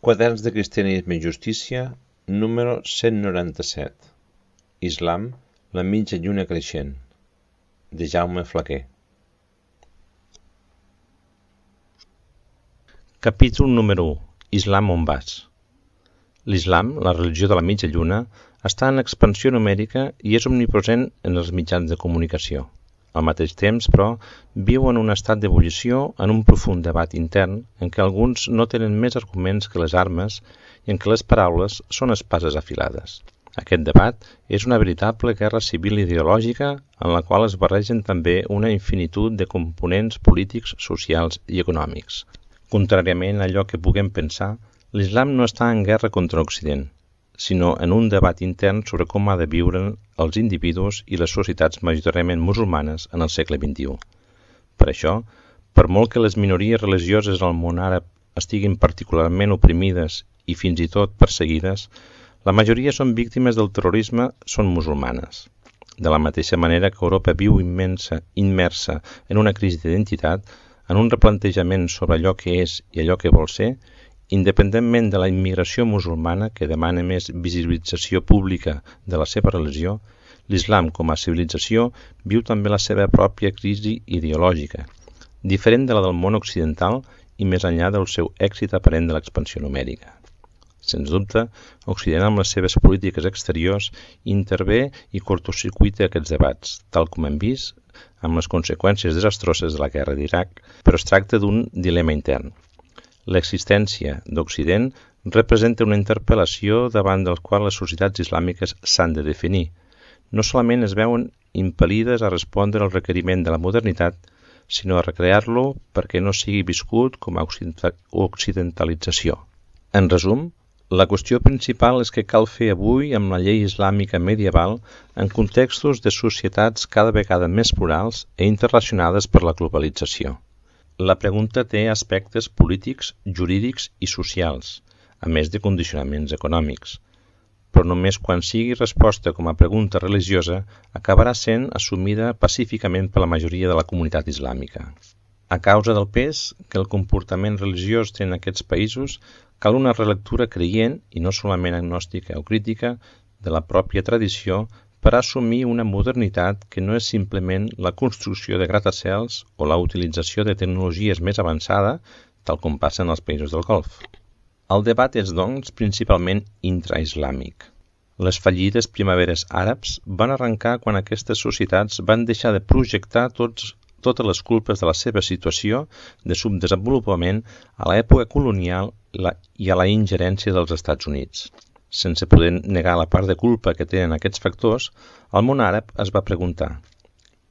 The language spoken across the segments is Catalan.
Quaderns de Cristianisme i Justícia, número 197. Islam, la mitja lluna creixent, de Jaume Flaquer. Capítol número 1. Islam on vas? L'Islam, la religió de la mitja lluna, està en expansió numèrica i és omnipresent en els mitjans de comunicació. Al mateix temps, però, viu en un estat d'ebullició en un profund debat intern en què alguns no tenen més arguments que les armes i en què les paraules són espases afilades. Aquest debat és una veritable guerra civil ideològica en la qual es barregen també una infinitud de components polítics, socials i econòmics. Contràriament a allò que puguem pensar, l'Islam no està en guerra contra Occident, sinó en un debat intern sobre com ha de viure els individus i les societats majoritàriament musulmanes en el segle XXI. Per això, per molt que les minories religioses al món àrab estiguin particularment oprimides i fins i tot perseguides, la majoria són víctimes del terrorisme, són musulmanes. De la mateixa manera que Europa viu immersa en una crisi d'identitat, en un replantejament sobre allò que és i allò que vol ser, independentment de la immigració musulmana que demana més visibilització pública de la seva religió, l'Islam com a civilització viu també la seva pròpia crisi ideològica, diferent de la del món occidental i més enllà del seu èxit aparent de l'expansió numèrica. Sens dubte, Occident amb les seves polítiques exteriors intervé i cortocircuita aquests debats, tal com hem vist amb les conseqüències desastroses de la guerra d'Iraq, però es tracta d'un dilema intern. L'existència d'Occident representa una interpel·lació davant del qual les societats islàmiques s'han de definir. No solament es veuen impel·lides a respondre al requeriment de la modernitat, sinó a recrear-lo perquè no sigui viscut com a occidentalització. En resum, la qüestió principal és que cal fer avui amb la llei islàmica medieval en contextos de societats cada vegada més plurals i interrelacionades per la globalització. La pregunta té aspectes polítics, jurídics i socials, a més de condicionaments econòmics. Però només quan sigui resposta com a pregunta religiosa acabarà sent assumida pacíficament per la majoria de la comunitat islàmica. A causa del pes que el comportament religiós té en aquests països, cal una relectura creient, i no solament agnòstica o crítica, de la pròpia tradició per assumir una modernitat que no és simplement la construcció de gratacels o la utilització de tecnologies més avançada, tal com passa en els països del Golf. El debat és, doncs, principalment intraislàmic. Les fallides primaveres àrabs van arrencar quan aquestes societats van deixar de projectar totes les culpes de la seva situació de subdesenvolupament a l'època colonial i a la ingerència dels Estats Units. Sense poder negar la part de culpa que tenen aquests factors, el món àrab es va preguntar: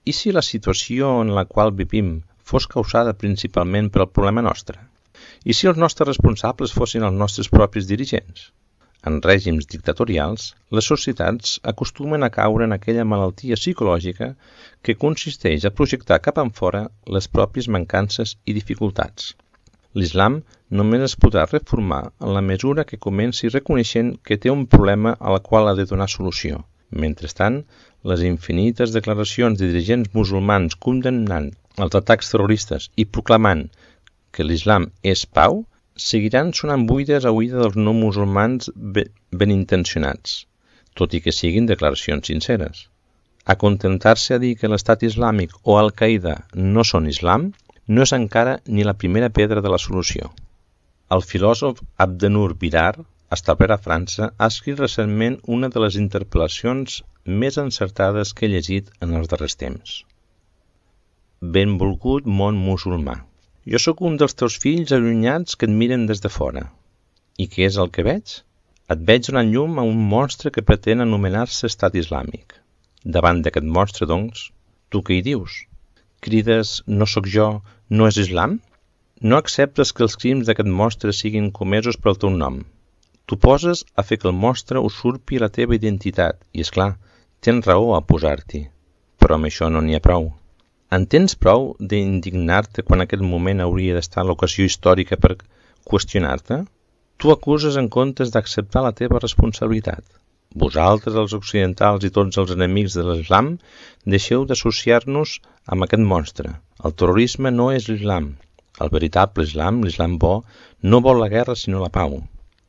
i si la situació en la qual vivim fos causada principalment per el problema nostre? I si els nostres responsables fossin els nostres propis dirigents? En règims dictatorials, les societats acostumen a caure en aquella malaltia psicològica que consisteix a projectar cap enfora les pròpies mancances i dificultats. L'Islam només es podrà reformar en la mesura que comenci reconeixent que té un problema al qual ha de donar solució. Mentrestant, les infinites declaracions de dirigents musulmans condemnant els atacs terroristes i proclamant que l'Islam és pau seguiran sonant buides a oïda dels no musulmans ben intencionats, tot i que siguin declaracions sinceres. Acontentar-se a dir que l'Estat Islàmic o Al-Qaeda no són Islam no és encara ni la primera pedra de la solució. El filòsof Abdenur Birar, establert a França, ha escrit recentment una de les interpel·lacions més encertades que he llegit en els darrers temps. Benvolgut món musulmà. Jo sóc un dels teus fills allunyats que et miren des de fora. I què és el que veig? Et veig donant llum a un monstre que pretén anomenar-se Estat Islàmic. Davant d'aquest monstre, doncs, tu què hi dius? Crides, no sóc jo, no és Islam? No acceptes que els crims d'aquest monstre siguin comesos pel teu nom. Tu poses a fer que el monstre usurpi la teva identitat i, esclar, tens raó a posar-t'hi. Però amb això no n'hi ha prou. En tens prou d'indignar-te quan aquest moment hauria d'estar l'ocasió històrica per qüestionar-te? Tu acuses en comptes d'acceptar la teva responsabilitat. Vosaltres, els occidentals i tots els enemics de l'Islam, deixeu d'associar-nos amb aquest monstre. El terrorisme no és l'Islam. El veritable Islam, l'Islam bo, no vol la guerra sinó la pau.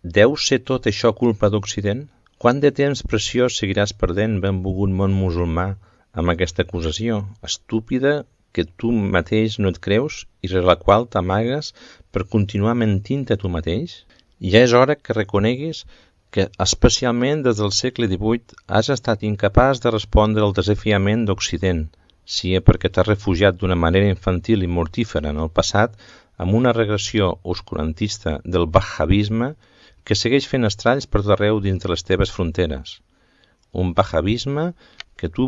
Deu ser tot això culpa d'Occident? Quant de temps preciós seguiràs perdent, benvolgut món musulmà, amb aquesta acusació estúpida que tu mateix no et creus i rere la qual t'amagues per continuar mentint a tu mateix? Ja és hora que reconeguis que, especialment des del segle XVIII, has estat incapaç de respondre al desafiament d'Occident, sia perquè t'has refugiat d'una manera infantil i mortífera en el passat amb una regressió oscurantista del wahhabisme que segueix fent estralls per tot arreu dins de les teves fronteres. Un wahhabisme que tu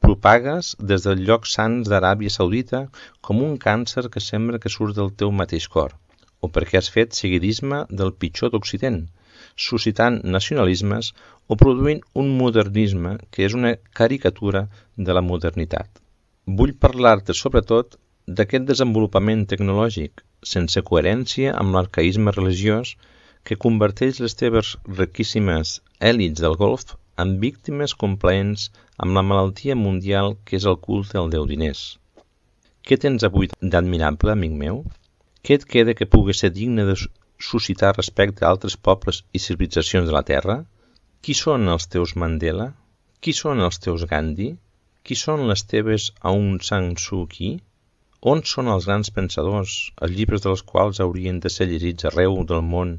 propagues des dels llocs sants d'Aràbia Saudita com un càncer que sembla que surt del teu mateix cor, o perquè has fet seguidisme del pitjor d'Occident, suscitant nacionalismes o produint un modernisme que és una caricatura de la modernitat. Vull parlar-te sobretot d'aquest desenvolupament tecnològic, sense coherència amb l'arcaïsme religiós que converteix les teves riquíssimes èlits del Golf en víctimes complaents amb la malaltia mundial que és el culte al déu diners. Què tens avui d'admirable, amic meu? Què et queda que pugui ser digne de suscitar respecte a altres pobles i civilitzacions de la Terra? Qui són els teus Mandela? Qui són els teus Gandhi? Qui són les teves Aung San Suu Kyi? On són els grans pensadors, els llibres dels quals haurien de ser llegits arreu del món,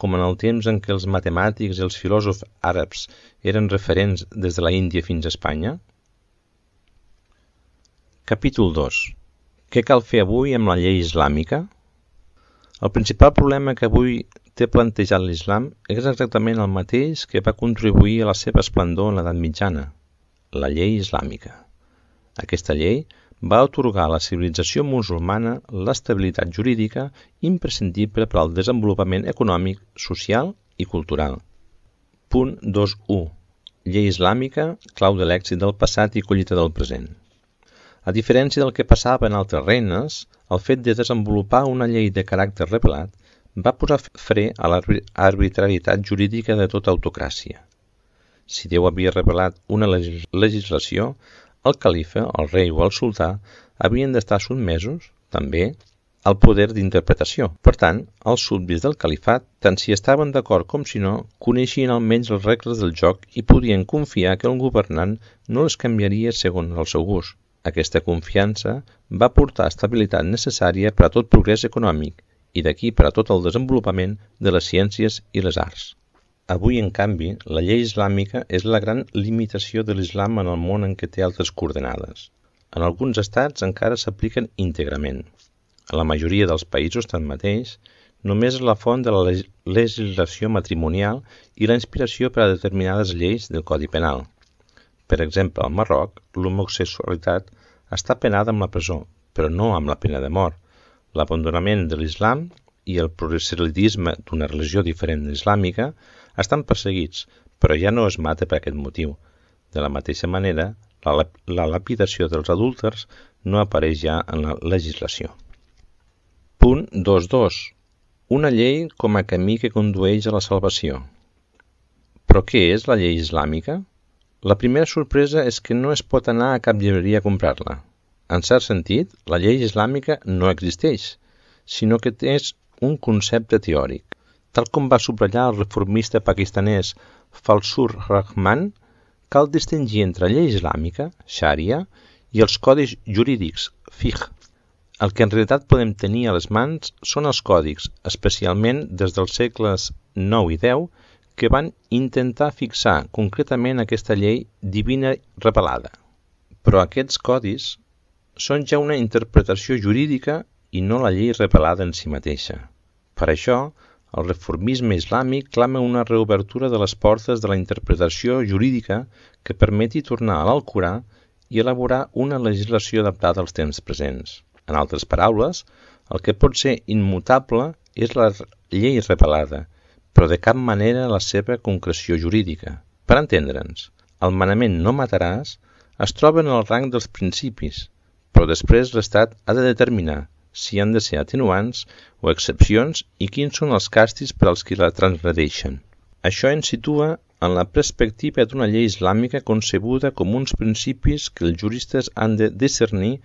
com en el temps en què els matemàtics i els filòsofs àrabs eren referents des de la Índia fins a Espanya? Capítol 2. Què cal fer avui amb la llei islàmica? El principal problema que avui té plantejat l'islam és exactament el mateix que va contribuir a la seva esplendor en l'edat mitjana, la llei islàmica. Aquesta llei va atorgar a la civilització musulmana l'estabilitat jurídica imprescindible per al desenvolupament econòmic, social i cultural. Punt 2.1. Llei islàmica, clau de l'èxit del passat i collita del present. A diferència del que passava en altres regnes, el fet de desenvolupar una llei de caràcter revelat va posar fre a l'arbitrarietat jurídica de tota autocràcia. Si Déu havia revelat una legislació, el califa, el rei o el sultà havien d'estar sotmesos, també, al poder d'interpretació. Per tant, els súbdits del califat, tant si estaven d'acord com si no, coneixien almenys les regles del joc i podien confiar que el governant no les canviaria segons el seu gust. Aquesta confiança va portar estabilitat necessària per a tot progrés econòmic i d'aquí per a tot el desenvolupament de les ciències i les arts. Avui, en canvi, la llei islàmica és la gran limitació de l'islam en el món en què té altres coordenades. En alguns estats encara s'apliquen íntegrament. A la majoria dels països, tanmateix, només és la font de la legislació matrimonial i la inspiració per a determinades lleis del Codi Penal. Per exemple, al Marroc, l'homosexualitat està penada amb la presó, però no amb la pena de mort. L'abandonament de l'islam i el proselitisme d'una religió diferent d'islàmica estan perseguits, però ja no es mata per aquest motiu. De la mateixa manera, la lapidació dels adúlters no apareix ja en la legislació. Punt 2.2. Una llei com a camí que condueix a la salvació. Però què és la llei islàmica? La primera sorpresa és que no es pot anar a cap llibreria a comprar-la. En cert sentit, la llei islàmica no existeix, sinó que és un concepte teòric. Tal com va subratllar el reformista pakistanès Fazlur Rahman, cal distingir entre llei islàmica, Sharia, i els codis jurídics, fiqh. El que en realitat podem tenir a les mans són els còdics, especialment des dels segles IX i X, que van intentar fixar concretament aquesta llei divina revelada. Però aquests codis són ja una interpretació jurídica i no la llei revelada en si mateixa. Per això, el reformisme islàmic clama una reobertura de les portes de la interpretació jurídica que permeti tornar a l'Alcorà i elaborar una legislació adaptada als temps presents. En altres paraules, el que pot ser immutable és la llei revelada, però de cap manera la seva concreció jurídica. Per entendre'ns, el manament no mataràs es troba en el rang dels principis, però després l'Estat ha de determinar si han de ser atenuants o excepcions i quins són els càstigs per als qui la transgredeixen. Això ens situa en la perspectiva d'una llei islàmica concebuda com uns principis que els juristes han de discernir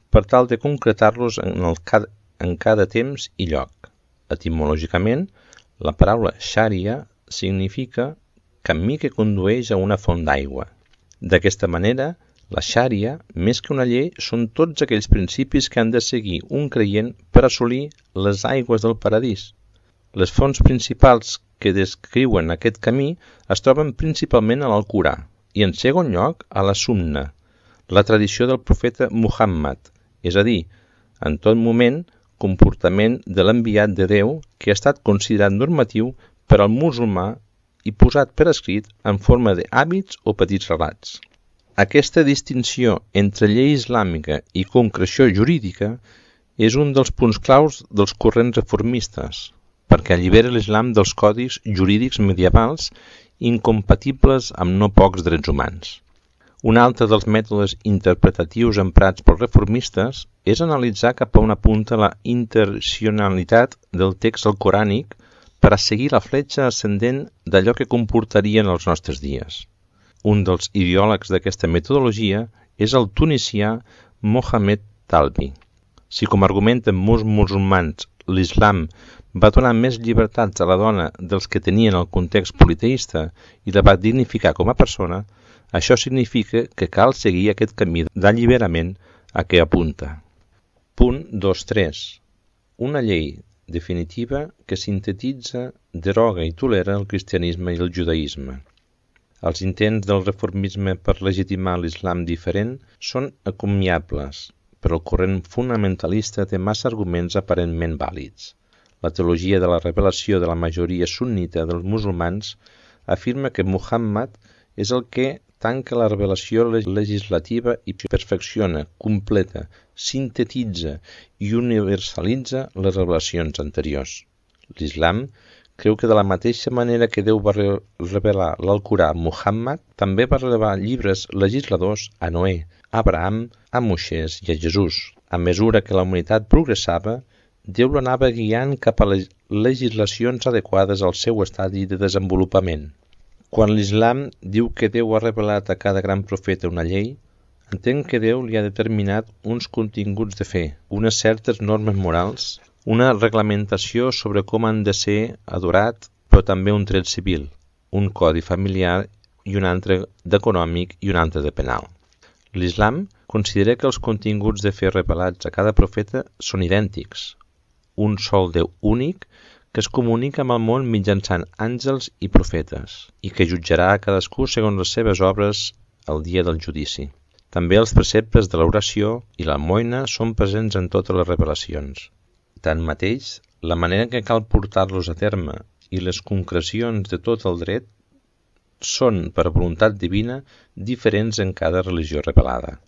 per tal de concretar-los en cada temps i lloc. Etimològicament, la paraula xària significa camí que condueix a una font d'aigua. D'aquesta manera, la xària, més que una llei, són tots aquells principis que han de seguir un creient per assolir les aigües del paradís. Les fonts principals que descriuen aquest camí es troben principalment a l'Alcorà i, en segon lloc, a la Sunna, la tradició del profeta Muhammad, és a dir, en tot moment, comportament de l'enviat de Déu que ha estat considerat normatiu per al musulmà i posat per escrit en forma d'hàbits o petits relats. Aquesta distinció entre llei islàmica i concreció jurídica és un dels punts claus dels corrents reformistes, perquè allibera l'islam dels codis jurídics medievals incompatibles amb no pocs drets humans. Un altre dels mètodes interpretatius emprats pels reformistes és analitzar cap a on apunta la intencionalitat del text alcorànic per a seguir la fletxa ascendent d'allò que comportarien els nostres dies. Un dels ideòlegs d'aquesta metodologia és el tunisià Mohamed Talbi. Si, com argumenten molts musulmans, l'islam va donar més llibertats a la dona dels que tenien el context politeista i la va dignificar com a persona, això significa que cal seguir aquest camí d'alliberament a què apunta. Punt 2.3. Una llei definitiva que sintetitza, deroga i tolera el cristianisme i el judaïsme. Els intents del reformisme per legitimar l'islam diferent són encomiables, però el corrent fonamentalista té massa arguments aparentment vàlids. La teologia de la revelació de la majoria sunnita dels musulmans afirma que Muhammad és el que tanca la revelació legislativa i perfecciona, completa, sintetitza i universalitza les revelacions anteriors. L'islam creu que de la mateixa manera que Déu va revelar l'Alcorà a Muhammad, també va revelar llibres legisladors a Noè, a Abraham, a Moisès i a Jesús. A mesura que la humanitat progressava, Déu l'anava guiant cap a les legislacions adequades al seu estadi de desenvolupament. Quan l'islam diu que Déu ha revelat a cada gran profeta una llei, entén que Déu li ha determinat uns continguts de fe, unes certes normes morals, una reglamentació sobre com han de ser adorat, però també un dret civil, un codi familiar i un altre d'econòmic i un altre de penal. L'islam considera que els continguts de fe revelats a cada profeta són idèntics, un sol Déu únic que es comunica amb el món mitjançant àngels i profetes i que jutjarà a cadascú segons les seves obres el dia del judici. També els preceptes de l'oració i l'almoina són presents en totes les revelacions. Tanmateix, la manera que cal portar-los a terme i les concrecions de tot el dret són, per voluntat divina, diferents en cada religió revelada.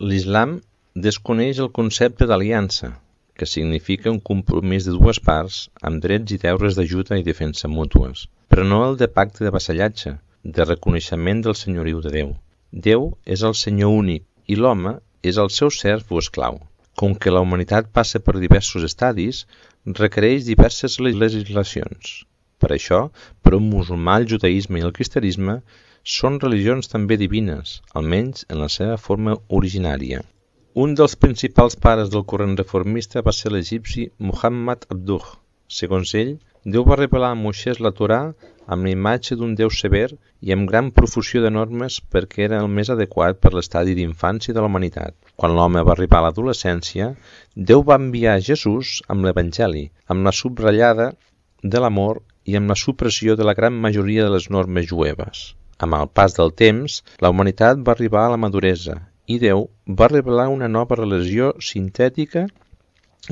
L'islam desconeix el concepte d'aliança, que significa un compromís de dues parts amb drets i deures d'ajuda i defensa mútues, però no el de pacte de vassallatge, de reconeixement del senyoriu de Déu. Déu és el Senyor únic i l'home és el seu serf o esclau. Com que la humanitat passa per diversos estadis, requereix diverses legislacions. Per això, per un musulmà, el judaïsme i el cristianisme són religions també divines, almenys en la seva forma originària. Un dels principals pares del corrent reformista va ser l'egipci Muhammad Abduh. Segons ell, Déu va revelar a Moisès la Torà amb la imatge d'un Déu sever i amb gran profusió de normes perquè era el més adequat per l'estadi d'infància de la humanitat. Quan l'home va arribar a l'adolescència, Déu va enviar Jesús amb l'Evangeli, amb la subratllada de l'amor i amb la supressió de la gran majoria de les normes jueves. Amb el pas del temps, la humanitat va arribar a la maduresa i Déu va revelar una nova religió sintètica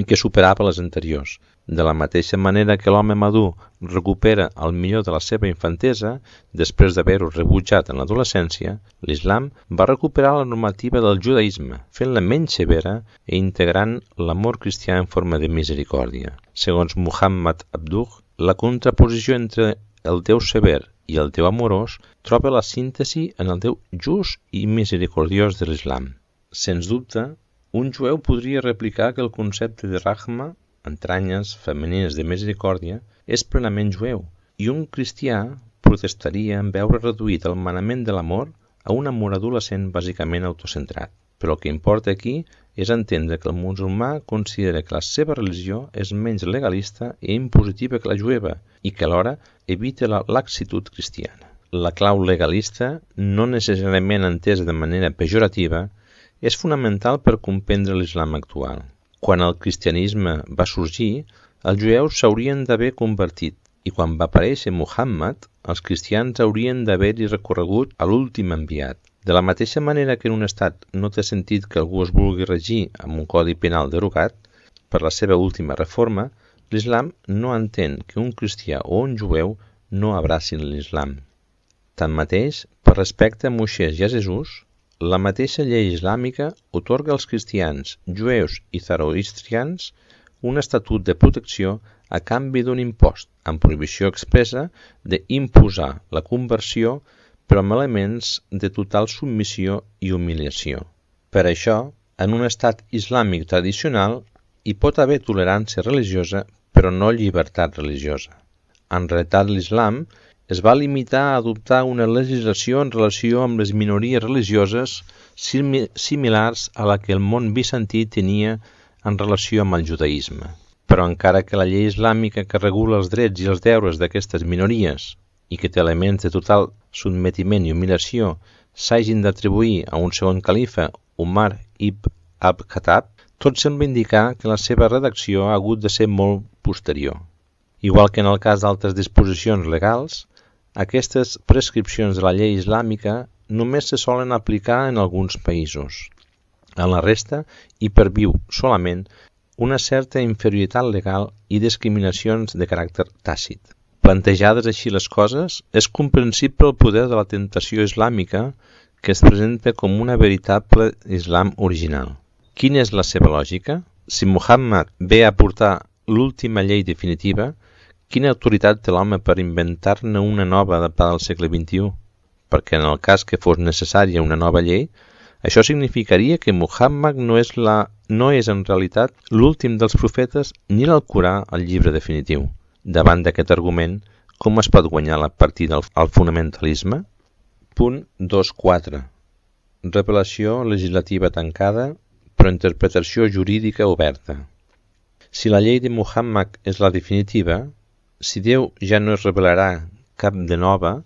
que superava les anteriors. De la mateixa manera que l'home madur recupera el millor de la seva infantesa, després d'haver-ho rebutjat en l'adolescència, l'islam va recuperar la normativa del judaïsme, fent-la menys severa i integrant l'amor cristià en forma de misericòrdia. Segons Muhammad Abduh, la contraposició entre el Déu sever i el Déu amorós troba la síntesi en el Déu just i misericordiós de l'islam. Sens dubte, un jueu podria replicar que el concepte de rahma, entranyes femenines de misericòrdia, és plenament jueu, i un cristià protestaria en veure reduït el manament de l'amor a un amor adolescent bàsicament autocentrat. Però el que importa aquí és entendre que el musulmà considera que la seva religió és menys legalista i impositiva que la jueva i que alhora evita la laxitud cristiana. La clau legalista, no necessàriament entesa de manera pejorativa, és fonamental per comprendre l'islam actual. Quan el cristianisme va sorgir, els jueus s'haurien d'haver convertit i quan va aparèixer Muhammad, els cristians haurien d'haver-hi recorregut a l'últim enviat. De la mateixa manera que en un estat no té sentit que algú es vulgui regir amb un codi penal derogat per la seva última reforma, l'islam no entén que un cristià o un jueu no abracin l'islam. Tanmateix, per respecte a Moisès i a Jesús, la mateixa llei islàmica atorga als cristians, jueus i zoroastrians un estatut de protecció a canvi d'un impost, amb prohibició expressa d'imposar la conversió però amb elements de total submissió i humiliació. Per això, en un estat islàmic tradicional hi pot haver tolerància religiosa però no llibertat religiosa. En realitat l'islam es va limitar a adoptar una legislació en relació amb les minories religioses similars a la que el món bizantí tenia en relació amb el judaïsme. Però encara que la llei islàmica que regula els drets i els deures d'aquestes minories i que té elements de total sotmetiment i humiliació s'hagin d'atribuir a un segon califa, Umar ibn al-Khattab, tot sembla indicar que la seva redacció ha hagut de ser molt posterior. Igual que en el cas d'altres disposicions legals, aquestes prescripcions de la llei islàmica només se solen aplicar en alguns països. En la resta hi perviu solament una certa inferioritat legal i discriminacions de caràcter tàcit. Plantejades així les coses, és comprensible el poder de la tentació islàmica que es presenta com una veritable islam original. Quina és la seva lògica? Si Muhammad ve a portar l'última llei definitiva, quina autoritat té l'home per inventar-ne una nova adaptada al segle XXI? Perquè en el cas que fos necessària una nova llei, això significaria que Muhammad no és en realitat l'últim dels profetes ni l'Alcorà el llibre definitiu. Davant d'aquest argument, com es pot guanyar la partida al fonamentalisme? Punt 2.4. Revelació legislativa tancada, però interpretació jurídica oberta. Si la llei de Muhammad és la definitiva, si Déu ja no es revelarà cap de nova,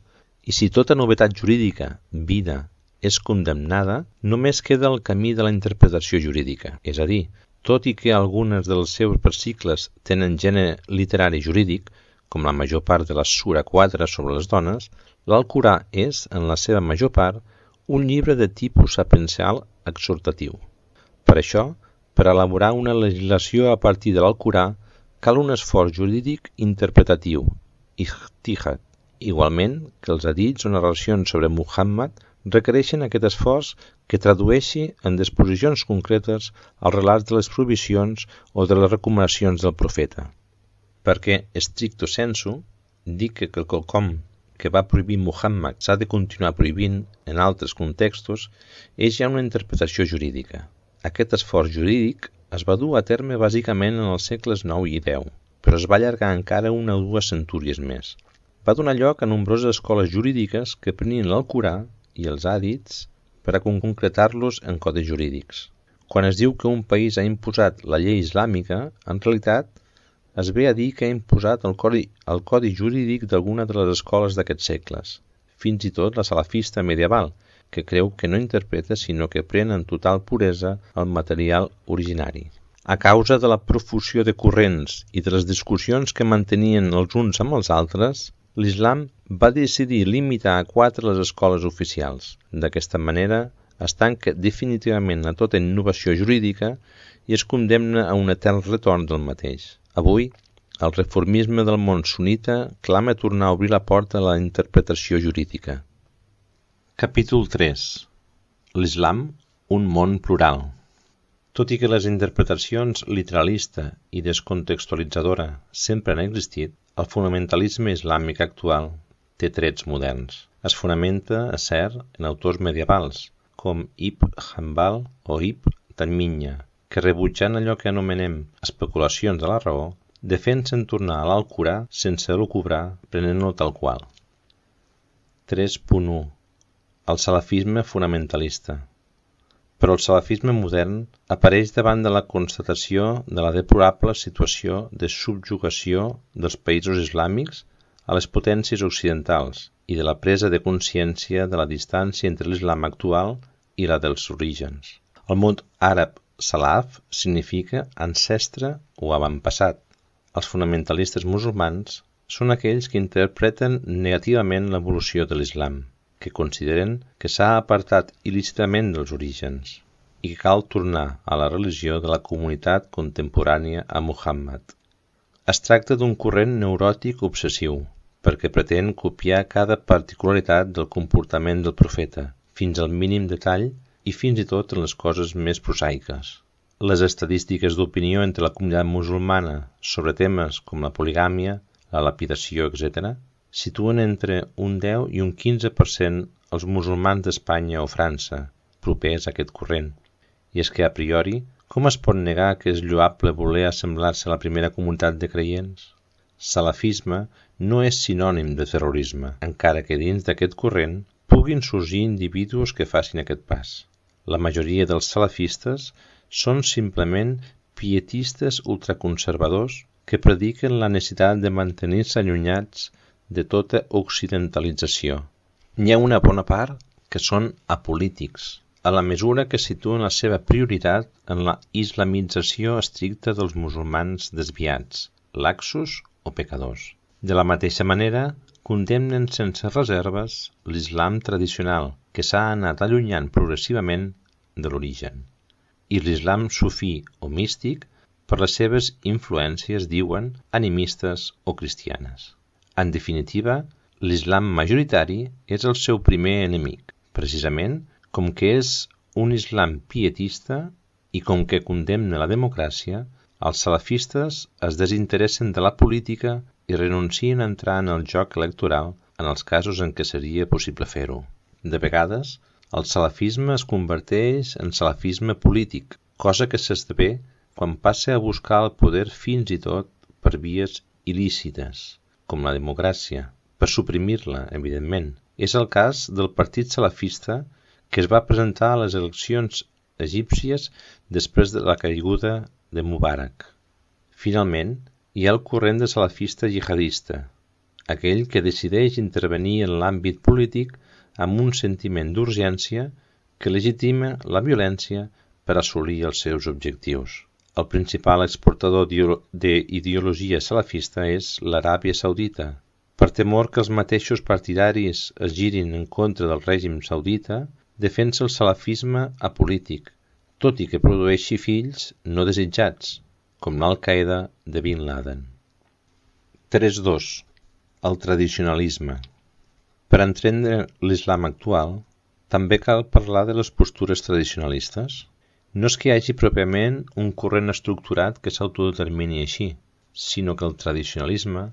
i si tota novetat jurídica, vida, és condemnada, només queda el camí de la interpretació jurídica. És a dir, tot i que algunes dels seus versicles tenen gènere literari jurídic, com la major part de la Sura 4 sobre les dones, l'Alcorà és, en la seva major part, un llibre de tipus sapiencial exhortatiu. Per això, per elaborar una legislació a partir de l'Alcorà, cal un esforç jurídic interpretatiu, ijtihad. Igualment que els hadits o narracions sobre Muhammad requereixen aquest esforç que tradueixi en disposicions concretes els relats de les prohibicions o de les recomanacions del profeta. Perquè, stricto sensu, dir que quelcom que va prohibir Muhammad s'ha de continuar prohibint en altres contextos és ja una interpretació jurídica. Aquest esforç jurídic es va dur a terme bàsicament en els segles IX i X, però es va allargar encara una o dues centúries més. Va donar lloc a nombroses escoles jurídiques que prenien l'Alcorà i els hadits per a concretar-los en codis jurídics. Quan es diu que un país ha imposat la llei islàmica, en realitat es ve a dir que ha imposat el codi jurídic d'alguna de les escoles d'aquests segles, fins i tot la salafista medieval, que creu que no interpreta sinó que pren en total puresa el material originari. A causa de la profusió de corrents i de les discussions que mantenien els uns amb els altres, l'islam va decidir limitar a 4 les escoles oficials. D'aquesta manera, es tanca definitivament a tota innovació jurídica i es condemna a un etern retorn del mateix. Avui, el reformisme del món sunnita clama tornar a obrir la porta a la interpretació jurídica. Capítol 3. L'islam, un món plural. Tot i que les interpretacions literalista i descontextualitzadora sempre han existit, el fonamentalisme islàmic actual té trets moderns. Es fonamenta, és cert, en autors medievals, com Ibn Hanbal o Ibn Taymiyyah, que rebutjant allò que anomenem especulacions de la raó, defensen tornar a l'Alcorà sense lucubrar, prenent-lo tal qual. 3.1. El salafisme fonamentalista. Però el salafisme modern apareix davant de la constatació de la deplorable situació de subjugació dels països islàmics a les potències occidentals i de la presa de consciència de la distància entre l'islam actual i la dels orígens. El mot àrab salaf significa ancestre o avantpassat. Els fonamentalistes musulmans són aquells que interpreten negativament l'evolució de l'islam, que consideren que s'ha apartat il·lícitament dels orígens i que cal tornar a la religió de la comunitat contemporània a Muhammad. Es tracta d'un corrent neuròtic obsessiu, perquè pretén copiar cada particularitat del comportament del profeta, fins al mínim detall i fins i tot en les coses més prosaiques. Les estadístiques d'opinió entre la comunitat musulmana sobre temes com la poligàmia, la lapidació, etc., situen entre un 10 i un 15% els musulmans d'Espanya o França, propers a aquest corrent. I és que, a priori, com es pot negar que és lloable voler assemblar-se a la primera comunitat de creients? Salafisme no és sinònim de terrorisme, encara que dins d'aquest corrent puguin sorgir individus que facin aquest pas. La majoria dels salafistes són simplement pietistes ultraconservadors que prediquen la necessitat de mantenir-se allunyats de tota occidentalització. N'hi ha una bona part que són apolítics, a la mesura que situen la seva prioritat en la islamització estricta dels musulmans desviats, laxos o pecadors. De la mateixa manera, condemnen sense reserves l'islam tradicional, que s'ha anat allunyant progressivament de l'origen, i l'islam sufí o místic per les seves influències, diuen, animistes o cristianes. En definitiva, l'islam majoritari és el seu primer enemic, precisament com que és un islam pietista i com que condemna la democràcia, els salafistes es desinteressen de la política i renuncien a entrar en el joc electoral en els casos en què seria possible fer-ho. De vegades, el salafisme es converteix en salafisme polític, cosa que s'esdevé quan passa a buscar el poder fins i tot per vies il·lícites, com la democràcia, per suprimir-la, evidentment. És el cas del partit salafista que es va presentar a les eleccions egípcies després de la caiguda de Mubarak. Finalment, hi ha el corrent de salafista jihadista, aquell que decideix intervenir en l'àmbit polític amb un sentiment d'urgència que legitima la violència per assolir els seus objectius. El principal exportador d'ideologia salafista és l'Aràbia Saudita. Per temor que els mateixos partidaris es girin en contra del règim saudita, defensa el salafisme apolític, tot i que produeixi fills no desitjats, com l'Al-Qaeda de Bin Laden. 3.2. El tradicionalisme. Per entendre l'islam actual, també cal parlar de les postures tradicionalistes. No és que hi hagi pròpiament un corrent estructurat que s'autodetermini així, sinó que el tradicionalisme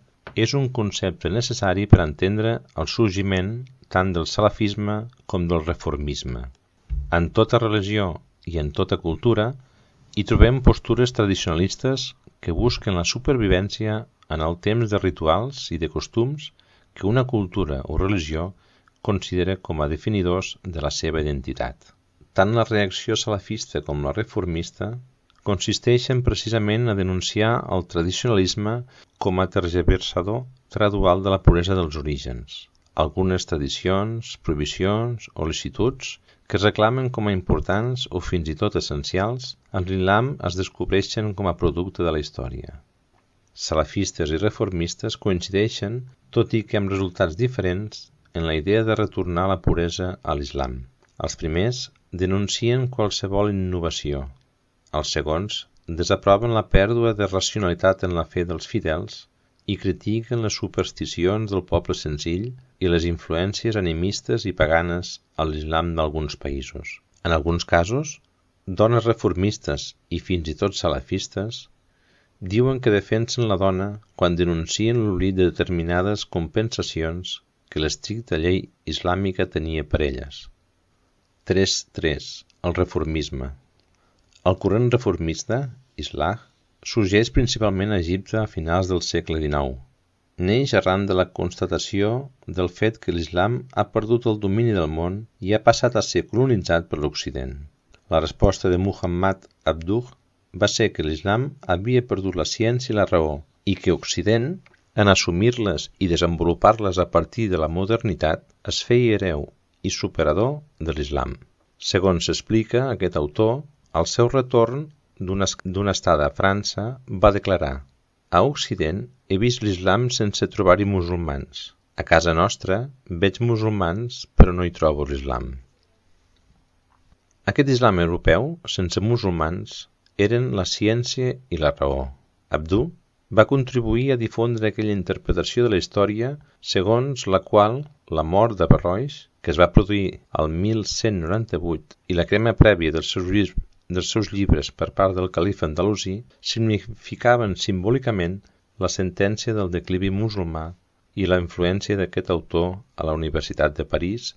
és un concepte necessari per entendre el sorgiment tant del salafisme com del reformisme. En tota religió i en tota cultura hi trobem postures tradicionalistes que busquen la supervivència en el temps de rituals i de costums que una cultura o religió considera com a definidors de la seva identitat. Tant la reacció salafista com la reformista consisteixen precisament a denunciar el tradicionalisme com a tergiversador gradual de la puresa dels orígens. Algunes tradicions, prohibicions o licituds que es reclamen com a importants o fins i tot essencials en l'islam es descobreixen com a producte de la història. Salafistes i reformistes coincideixen, tot i que amb resultats diferents, en la idea de retornar la puresa a l'islam. Els primers denuncien qualsevol innovació. Els segons desaproven la pèrdua de racionalitat en la fe dels fidels i critiquen les supersticions del poble senzill i les influències animistes i paganes a l'islam d'alguns països. En alguns casos, dones reformistes i fins i tot salafistes diuen que defensen la dona quan denuncien l'oblit de determinades compensacions que l'estricta llei islàmica tenia per elles. 3.3. El reformisme. El corrent reformista, Islah, sorgeix principalment a Egipte a finals del segle XIX. Neix arran de la constatació del fet que l'islam ha perdut el domini del món i ha passat a ser colonitzat per l'Occident. La resposta de Muhammad Abduh va ser que l'Islam havia perdut la ciència i la raó i que Occident, en assumir-les i desenvolupar-les a partir de la modernitat, es feia hereu i superador de l'Islam. Segons s'explica, aquest autor, al seu retorn d'una estada a França, va declarar: a Occident he vist l'Islam sense trobar-hi musulmans. A casa nostra veig musulmans però no hi trobo l'Islam. Aquest Islam europeu, sense musulmans, eren la ciència i la raó. Abduh va contribuir a difondre aquella interpretació de la història segons la qual la mort d'Averrois, que es va produir al 1198, i la crema prèvia dels seus llibres per part del califa andalusí significaven simbòlicament la sentència del declivi musulmà, i la influència d'aquest autor a la Universitat de París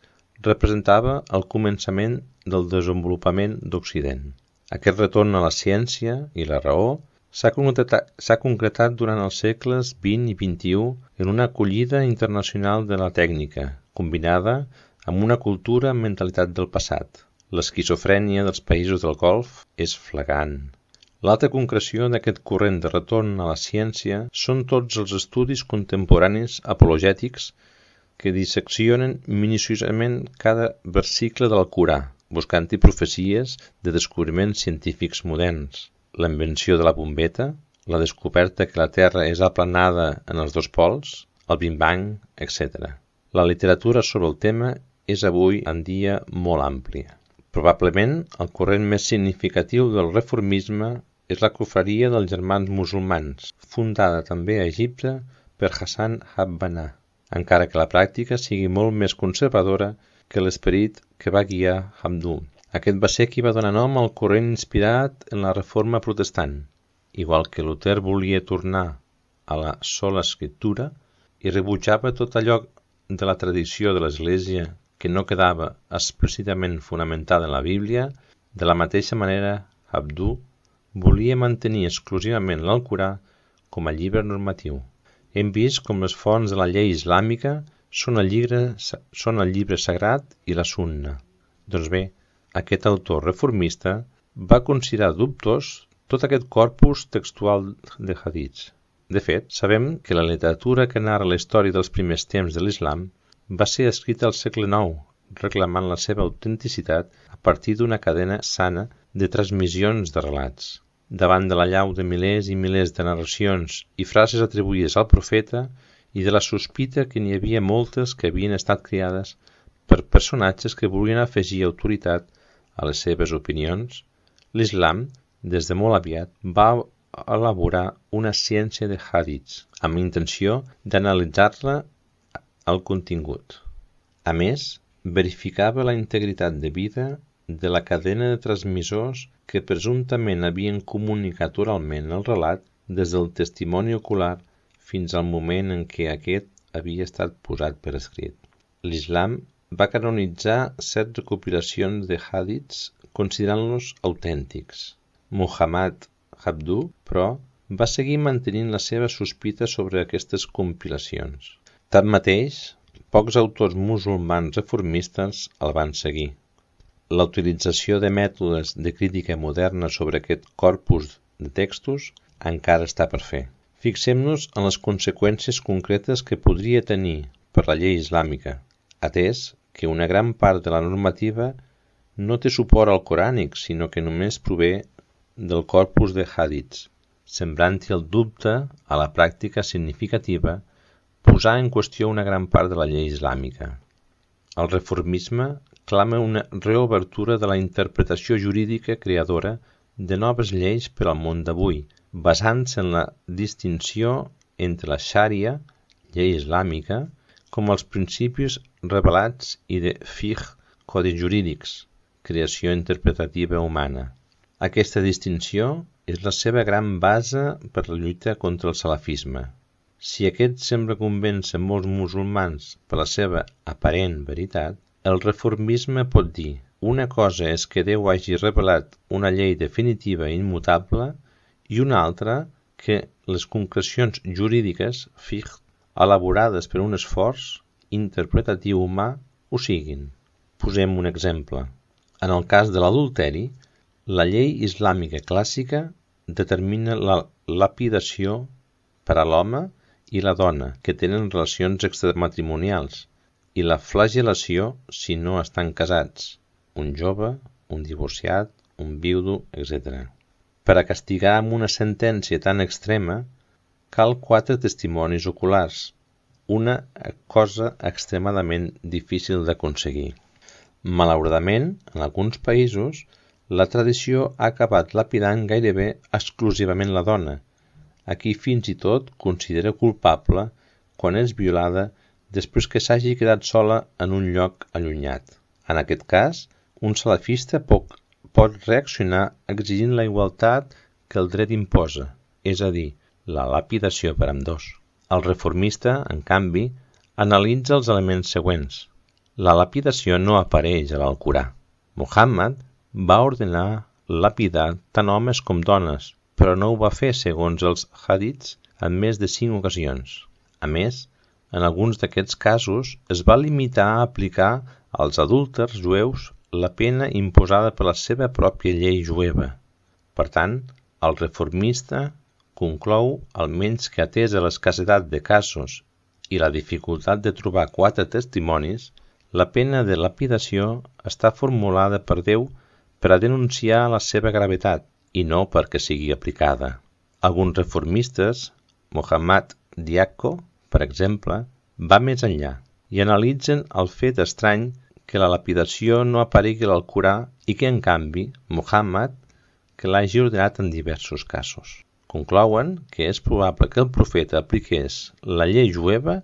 representava el començament del desenvolupament d'Occident. Aquest retorn a la ciència i la raó s'ha concretat durant els segles XX i XXI en una acollida internacional de la tècnica, combinada amb una cultura amb mentalitat del passat. L'esquizofrènia dels països del Golf és flagrant. L'altra concreció d'aquest corrent de retorn a la ciència són tots els estudis contemporanis apologètics que disseccionen minuciosament cada versicle del Corà, buscant-hi profecies de descobriments científics moderns, la invenció de la bombeta, la descoberta que la Terra és aplanada en els dos pols, el Big Bang, etc. La literatura sobre el tema és avui en dia molt àmplia. Probablement, el corrent més significatiu del reformisme és la confraria dels germans musulmans, fundada també a Egipte per Hassan Banna, encara que la pràctica sigui molt més conservadora que l'esperit que va guiar Abduh. Aquest va ser qui va donar nom al corrent inspirat en la Reforma Protestant, igual que Luter volia tornar a la sola escriptura i rebutjava tot allò de la tradició de l'Església que no quedava explícitament fonamentada en la Bíblia. De la mateixa manera, Abduh volia mantenir exclusivament l'Alcorà com a llibre normatiu. Hem vist com les fonts de la llei islàmica són el llibre sagrat i la sunna. Doncs bé, aquest autor reformista va considerar dubtós tot aquest corpus textual de hadits. De fet, sabem que la literatura que narra la història dels primers temps de l'Islam va ser escrita al segle IX, reclamant la seva autenticitat a partir d'una cadena sana de transmissions de relats. Davant de l'allau de milers i milers de narracions i frases atribuïdes al profeta i de la sospita que n'hi havia moltes que havien estat creades per personatges que volien afegir autoritat a les seves opinions, l'Islam, des de molt aviat, va elaborar una ciència de hadits amb intenció d'analitzar-la al contingut. A més, verificava la integritat de vida de la cadena de transmissors que presumptament havien comunicat oralment el relat des del testimoni ocular fins al moment en què aquest havia estat posat per escrit. L'Islam va canonitzar 7 recopilacions de hadits considerant-los autèntics. Muhammad Abduh, però, va seguir mantenint la seva sospita sobre aquestes compilacions. Tanmateix, pocs autors musulmans reformistes el van seguir. La utilització de mètodes de crítica moderna sobre aquest corpus de textos encara està per fer. Fixem-nos en les conseqüències concretes que podria tenir per la llei islàmica, atès que una gran part de la normativa no té suport al corànic, sinó que només prové del corpus de hadits, sembrant-hi el dubte a la pràctica significativa posar en qüestió una gran part de la llei islàmica. El reformisme clama una reobertura de la interpretació jurídica creadora de noves lleis per al món d'avui, basant-se en la distinció entre la xària, llei islàmica, com els principis revelats i de fiqh, codis jurídics, creació interpretativa humana. Aquesta distinció és la seva gran base per la lluita contra el salafisme. Si aquest sembla convèncer molts musulmans per la seva aparent veritat, el reformisme pot dir: una cosa és que Déu hagi revelat una llei definitiva i immutable i una altra que les concrecions jurídiques fiqh elaborades per un esforç interpretatiu humà ho siguin. Posem un exemple. En el cas de l'adulteri, la llei islàmica clàssica determina la lapidació per a l'home i la dona que tenen relacions extramatrimonials i la flagel·lació si no estan casats, un jove, un divorciat, un viudo, etc. Per a castigar amb una sentència tan extrema, cal 4 testimonis oculars, una cosa extremadament difícil d'aconseguir. Malauradament, en alguns països, la tradició ha acabat lapidant gairebé exclusivament la dona, a qui fins i tot considera culpable quan és violada després que s'hagi quedat sola en un lloc allunyat. En aquest cas, un salafista pot reaccionar exigint la igualtat que el dret imposa, és a dir, la lapidació per ambdós. El reformista, en canvi, analitza els elements següents. La lapidació no apareix a l'Alcorà. Muhammad va ordenar lapidar tant homes com dones, però no ho va fer segons els hadits en més de 5 ocasions. A més, en alguns d'aquests casos es va limitar a aplicar als adúlters jueus la pena imposada per la seva pròpia llei jueva. Per tant, el reformista conclou almenys que atesa l'escassetat de casos i la dificultat de trobar 4 testimonis, la pena de lapidació està formulada per Déu per a denunciar la seva gravetat i no perquè sigui aplicada. Alguns reformistes, Muhammad Diakko, per exemple, va més enllà i analitzen el fet estrany que la lapidació no aparegui a l'Alcorà i que, en canvi, Muhammad que l'hagi ordenat en diversos casos. Conclouen que és probable que el profeta apliqués la llei jueva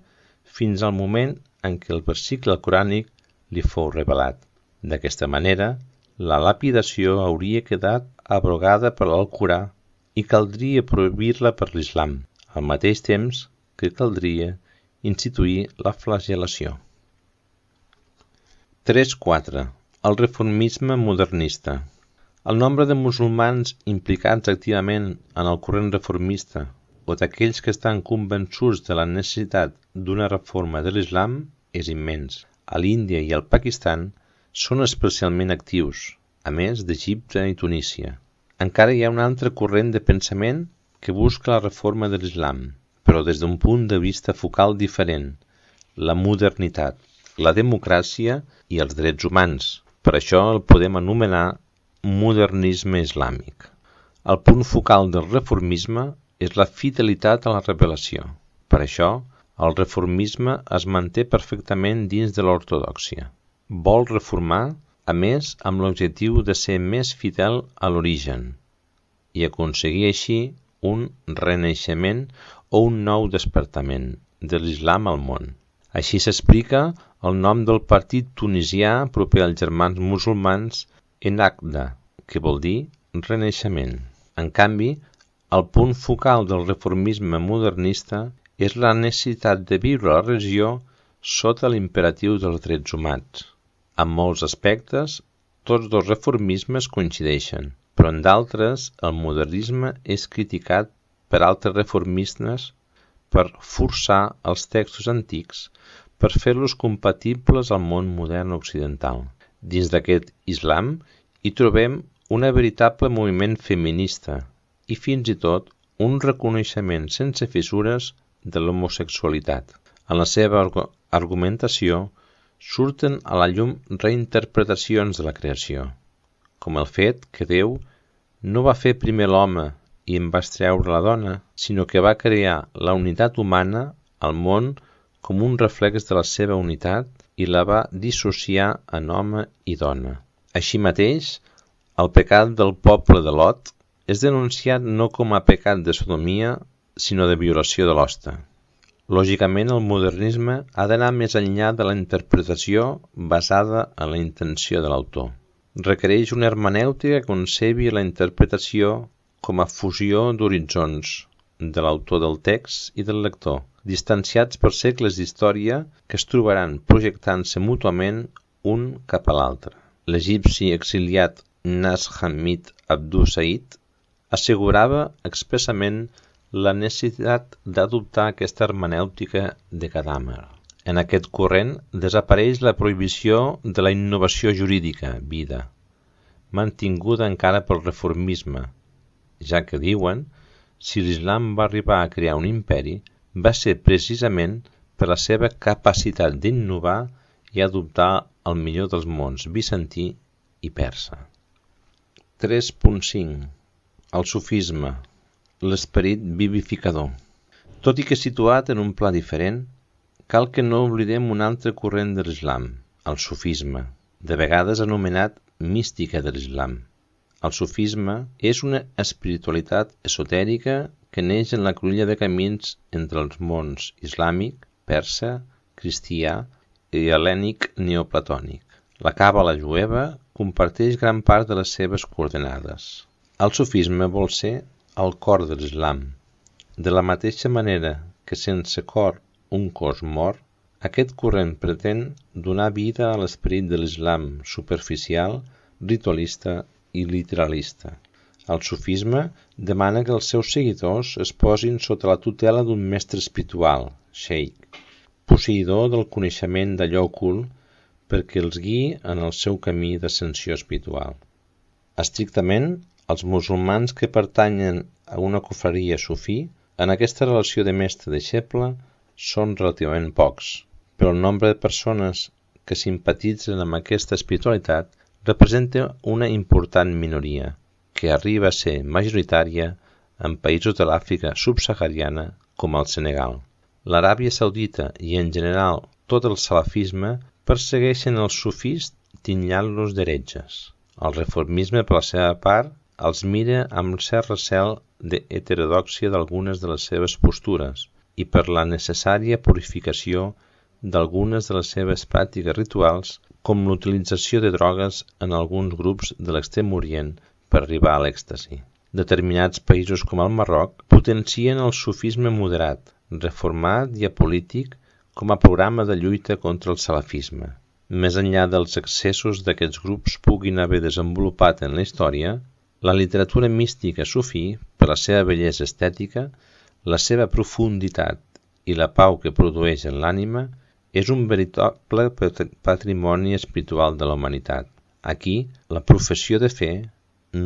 fins al moment en què el versicle alcorànic li fou revelat. D'aquesta manera, la lapidació hauria quedat abrogada per l'Alcorà i caldria prohibir-la per l'Islam, al mateix temps que caldria instituir la flagel·lació. 3.4. El reformisme modernista. El nombre de musulmans implicats activament en el corrent reformista o d'aquells que estan convençuts de la necessitat d'una reforma de l'Islam és immens. A l'Índia i al Pakistan són especialment actius, a més d'Egipte i Tunísia. Encara hi ha un altre corrent de pensament que busca la reforma de l'Islam, però des d'un punt de vista focal diferent, la modernitat, la democràcia i els drets humans. Per això el podem anomenar modernisme islàmic. El punt focal del reformisme és la fidelitat a la revelació. Per això, el reformisme es manté perfectament dins de l'ortodòxia. Vol reformar, a més, amb l'objectiu de ser més fidel a l'origen i aconseguir així un renaixement o un nou despertament de l'Islam al món. Així s'explica el nom del partit tunisià proper als germans musulmans Ennahda, que vol dir renaixement. En canvi, el punt focal del reformisme modernista és la necessitat de viure la religió sota l'imperatiu dels drets humans. En molts aspectes, tots dos reformismes coincideixen, però en d'altres el modernisme és criticat per altres reformistes per forçar els textos antics per fer-los compatibles al món modern occidental. Dins d'aquest Islam hi trobem un veritable moviment feminista i fins i tot un reconeixement sense fissures de l'homosexualitat. En la seva argumentació surten a la llum reinterpretacions de la creació, com el fet que Déu no va fer primer l'home i en va extreure la dona, sinó que va crear la unitat humana al món com un reflex de la seva unitat i la va dissociar en home i dona. Així mateix, el pecat del poble de Lot és denunciat no com a pecat de sodomia, sinó de violació de l'hoste. Lògicament, el modernisme ha d'anar més enllà de la interpretació basada en la intenció de l'autor. Requereix una hermenèutica que concebi la interpretació com a fusió d'horitzons de l'autor del text i del lector, distanciats per segles d'història que es trobaran projectant-se mútuament un cap a l'altre. L'egipci exiliat Nas Hamid Abdu Said assegurava expressament la necessitat d'adoptar aquesta hermenèutica de cadàmer. En aquest corrent desapareix la prohibició de la innovació jurídica, vida, mantinguda encara pel reformisme, ja que diuen, si l'islam va arribar a crear un imperi, va ser precisament per la seva capacitat d'innovar i adoptar el millor dels mons bizantí i persa. 3.5. El sufisme, l'esperit vivificador. Tot i que situat en un pla diferent, cal que no oblidem un altre corrent de l'islam, el sufisme, de vegades anomenat mística de l'islam. El sufisme és una espiritualitat esotèrica que neix en la cruïlla de camins entre els mons islàmic, persa, cristià i hel·lènic neoplatònic. La càbala jueva comparteix gran part de les seves coordenades. El sufisme vol ser el cor de l'islam. De la mateixa manera que sense cor un cos mor, aquest corrent pretén donar vida a l'esperit de l'islam superficial, ritualista i literalista. El sufisme demana que els seus seguidors es posin sota la tutela d'un mestre espiritual, sheikh, posseïdor del coneixement d'allò ocult perquè els guiï en el seu camí d'ascensió espiritual. Estrictament, els musulmans que pertanyen a una confraria sufí, en aquesta relació de mestre-deixeble, són relativament pocs, però el nombre de persones que simpatitzen amb aquesta espiritualitat representa una important minoria, que arriba a ser majoritària en països de l'Àfrica subsahariana com el Senegal. L'Aràbia Saudita i en general tot el salafisme persegueixen els sufís titllant-los d'heretges. El reformisme, per la seva part, els mira amb cert recel d'heterodòxia d'algunes de les seves postures i per la necessària purificació d'algunes de les seves pràctiques rituals, com l'utilització de drogues en alguns grups de l'Extrem Orient per arribar a l'èxtasi. Determinats països com el Marroc potencien el sufisme moderat, reformat i apolític com a programa de lluita contra el salafisme. Més enllà dels excessos d'aquests grups puguin haver desenvolupat en la història, la literatura mística sufí, per la seva bellesa estètica, la seva profunditat i la pau que produeix en l'ànima, és un veritable patrimoni espiritual de la humanitat. Aquí, la professió de fe,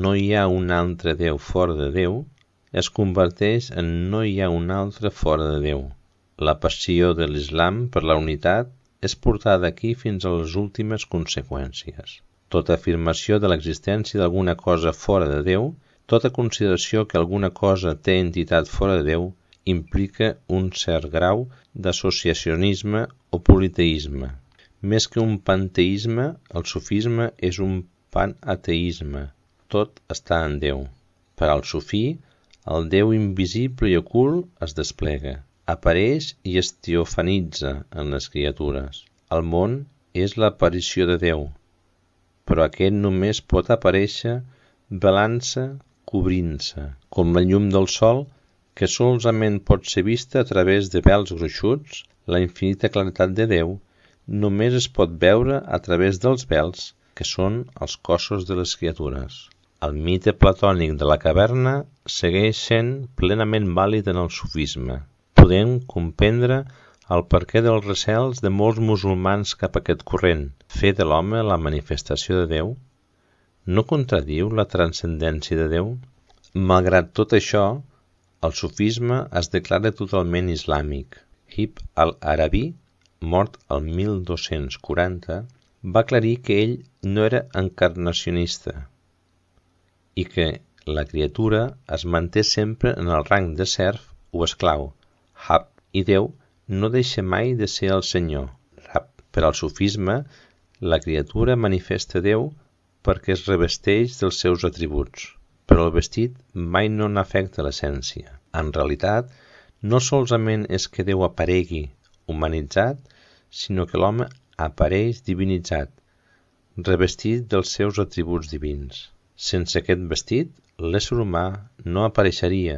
no hi ha un altre Déu fora de Déu, es converteix en no hi ha un altre fora de Déu. La passió de l'islam per la unitat és portada aquí fins a les últimes conseqüències. Tota afirmació de l'existència d'alguna cosa fora de Déu, tota consideració que alguna cosa té entitat fora de Déu, implica un cert grau d'associacionisme o politeisme. Més que un panteisme, el sufisme és un panateisme. Tot està en Déu. Per al sufí, el Déu invisible i ocult es desplega, apareix i es teofanitza en les criatures. El món és l'aparició de Déu, però aquest només pot aparèixer velant-se, cobrint-se, com la llum del sol, que solament pot ser vista a través de vels gruixuts. La infinita claretat de Déu només es pot veure a través dels vels, que són els cossos de les criatures. El mite platònic de la caverna segueix sent plenament vàlid en el sufisme. Podem comprendre el perquè dels recels de molts musulmans cap a aquest corrent, fer de l'home la manifestació de Déu. No contradiu la transcendència de Déu? Malgrat tot això, el sufisme es declara totalment islàmic. Ibn al-Arabi, mort el 1240, va aclarir que ell no era encarnacionista i que la criatura es manté sempre en el rang de serf o esclau, Hab, i Déu no deixa mai de ser el Senyor, Rab. Per al sufisme, la criatura manifesta Déu perquè es revesteix dels seus atributs, però el vestit mai no n'afecta l'essència. En realitat, no solament és que Déu aparegui humanitzat, sinó que l'home apareix divinitzat, revestit dels seus atributs divins. Sense aquest vestit, l'ésser humà no apareixeria,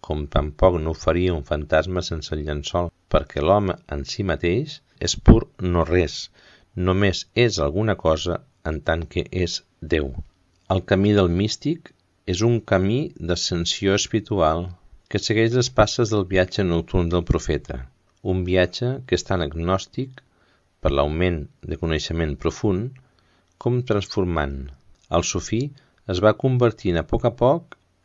com tampoc no ho faria un fantasma sense el llençol, perquè l'home en si mateix és pur no res, només és alguna cosa en tant que és Déu. El camí del místic és un camí d'ascensió espiritual que segueix les passes del viatge nocturn del profeta, un viatge que és tan agnòstic per l'augment de coneixement profund com transformant, El sufí es va convertint a poc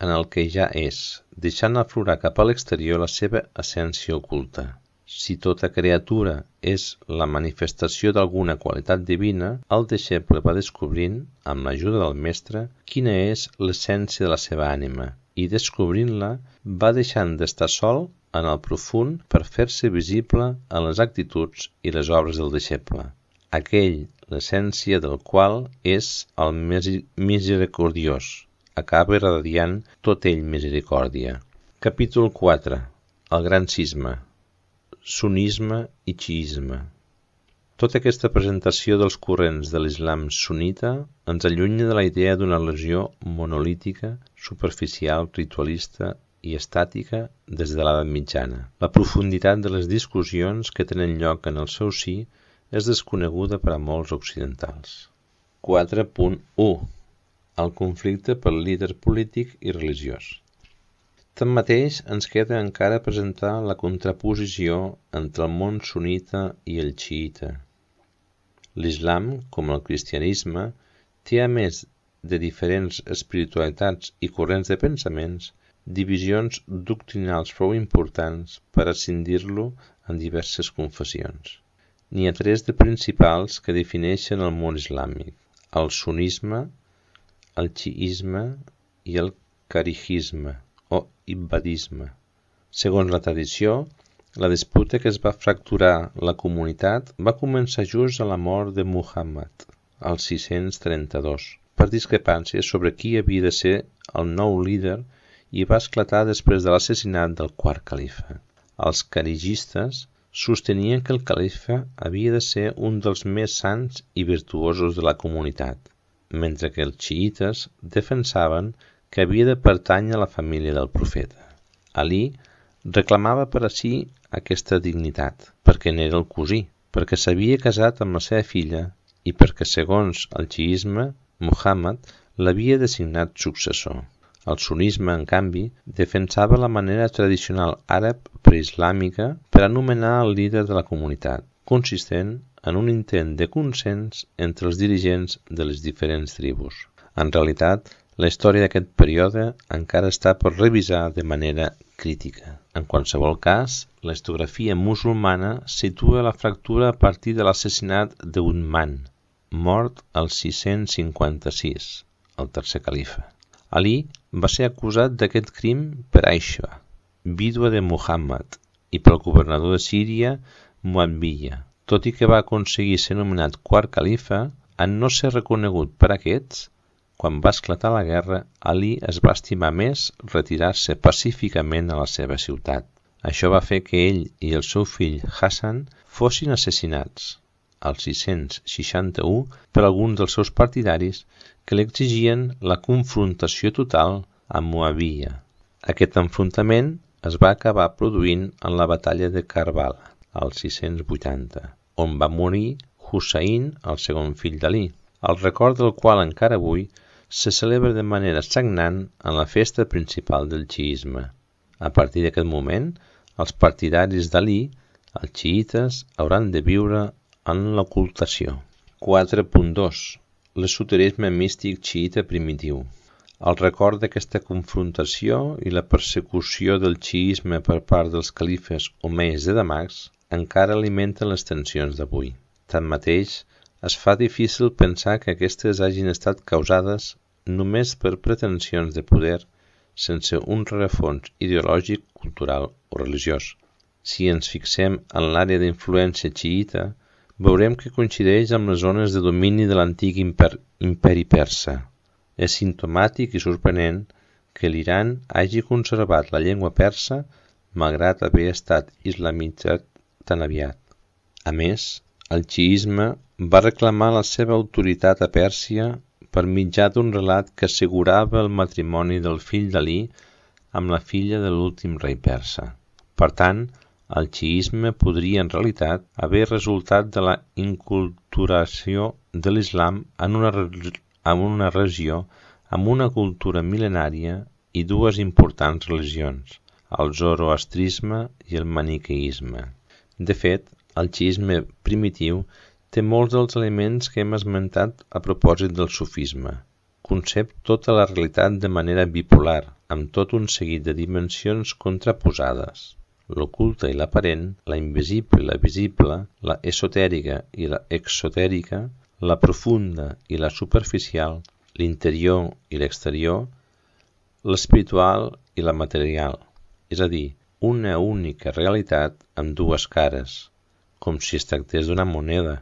en el que ja és, deixant aflorar cap a l'exterior la seva essència oculta. Si tota criatura és la manifestació d'alguna qualitat divina, el deixeble va descobrint, amb l'ajuda del mestre, quina és l'essència de la seva ànima, i descobrint-la va deixant d'estar sol en el profund per fer-se visible en les actituds i les obres del deixeble, aquell l'essència del qual és el misericordiós, acaba irradiant tot ell misericòrdia. Capítol 4. El gran cisma, sunnisme i xiisme. Tota aquesta presentació dels corrents de l'islam sunnita ens allunya de la idea d'una religió monolítica, superficial, ritualista i estàtica des de l'edat mitjana. La profunditat de les discussions que tenen lloc en el seu si és desconeguda per a molts occidentals. 4.1. El conflicte pel líder polític i religiós. Tanmateix, ens queda encara presentar la contraposició entre el món sunnita i el xiïta. L'islam, com el cristianisme, té a més de diferents espiritualitats i corrents de pensaments, divisions doctrinals prou importants per escindir-lo en diverses confessions. N'hi ha tres de principals que defineixen el món islàmic: el sunnisme, el xiisme i el kharijisme o ibadisme. Segons la tradició, la disputa que es va fracturar la comunitat va començar just a la mort de Muhammad, al 632, per discrepàncies sobre qui havia de ser el nou líder, i va esclatar després de l'assassinat del quart califa. Els kharigistes sostenien que el califa havia de ser un dels més sants i virtuosos de la comunitat, mentre que els xiïtes defensaven que havia de pertànyer a la família del profeta. Ali reclamava per a si aquesta dignitat, perquè n'era el cosí, perquè s'havia casat amb la seva filla i perquè, segons el xiisme, Muhammad l'havia designat successor. El sunnisme, en canvi, defensava la manera tradicional àrab preislàmica per anomenar el líder de la comunitat, consistent en un intent de consens entre els dirigents de les diferents tribus. En realitat, la història d'aquest període encara està per revisar de manera crítica. En qualsevol cas, la historiografia musulmana situa la fractura a partir de l'assassinat d'Uthman, mort al 656, el tercer califa. Ali va ser acusat d'aquest crim per Aisha, vídua de Muhammad, i pel governador de Síria, Muawiyah. Tot i que va aconseguir ser nomenat quart califa, en no ser reconegut per aquests, quan va esclatar la guerra, Ali es va estimar més retirar-se pacíficament a la seva ciutat. Això va fer que ell i el seu fill Hassan fossin assassinats, al 661, per alguns dels seus partidaris que l'exigien la confrontació total amb Muawiyah. Aquest enfrontament es va acabar produint en la batalla de Karbala, al 680, on va morir Hussein, el segon fill d'Ali, el record del qual encara avui se celebra de manera sagnant en la festa principal del xiisme. A partir d'aquest moment, els partidaris d'Ali, els xiïtes, hauran de viure en l'ocultació. 4.2. L'esoterisme místic xiïta primitiu. El record d'aquesta confrontació i la persecució del xiisme per part dels califes omeies de Damasc encara alimenten les tensions d'avui. Tanmateix, es fa difícil pensar que aquestes hagin estat causades només per pretensions de poder sense un rerefons ideològic, cultural o religiós. Si ens fixem en l'àrea d'influència xiïta, veurem que coincideix amb les zones de domini de l'antic imperi persa. És simptomàtic i sorprenent que l'Iran hagi conservat la llengua persa malgrat haver estat islamitzat tan aviat. A més, el xiisme va reclamar la seva autoritat a Pèrsia per mitjà d'un relat que assegurava el matrimoni del fill d'Ali amb la filla de l'últim rei persa. Per tant, el xiisme podria en realitat haver resultat de la inculturació de l'islam en una regió amb una cultura mil·lenària i dues importants religions, el zoroastrisme i el maniqueisme. De fet, el xiisme primitiu té molts dels elements que hem esmentat a propòsit del sufisme. concep tota la realitat de manera bipolar, amb tot un seguit de dimensions contraposades. L'oculta i l'aparent, la invisible i la visible, la esotèrica i la exotèrica, la profunda i la superficial, l'interior i l'exterior, l'espiritual i la material, és a dir, una única realitat amb dues cares, com si es tractés d'una moneda,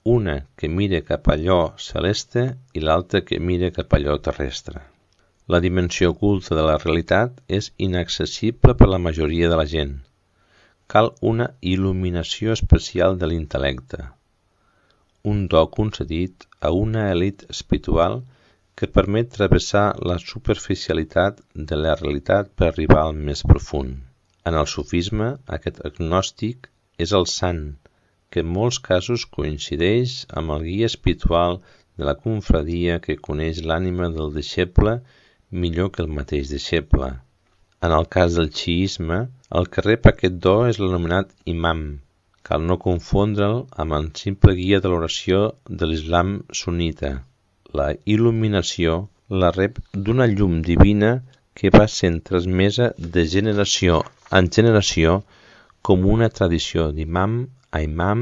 una que mira cap a allò celeste i l'altra que mira cap a allò terrestre. La dimensió oculta de la realitat és inaccessible per la majoria de la gent. Cal una il·luminació especial de l'intel·lecte, un do concedit a una elit espiritual que permet travessar la superficialitat de la realitat per arribar al més profund. En el sufisme, aquest agnòstic és el sant, que en molts casos coincideix amb el guia espiritual de la confraria que coneix l'ànima del deixeble millor que el mateix deixeble. En el cas del xiisme, el que rep aquest do és l'anomenat imam. Cal no confondre'l amb el simple guia de l'oració de l'islam sunnita. La il·luminació la rep d'una llum divina que va sent transmesa de generació en generació com una tradició d'imam a imam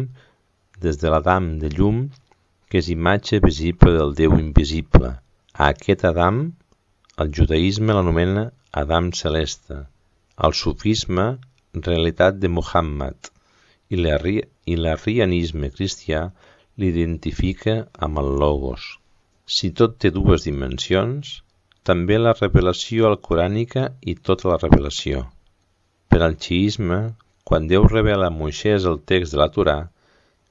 des de l'Adam de llum, que és imatge visible del Déu invisible. A aquest Adam, el judaïsme l'anomena Adam celeste, el sufisme realitat de Muhammad i l'arrianisme cristià l'identifica amb el Logos. Si tot té dues dimensions, també la revelació alcorànica i tota la revelació. Per al xiisme, quan Déu revela a Moisès el text de la Torà,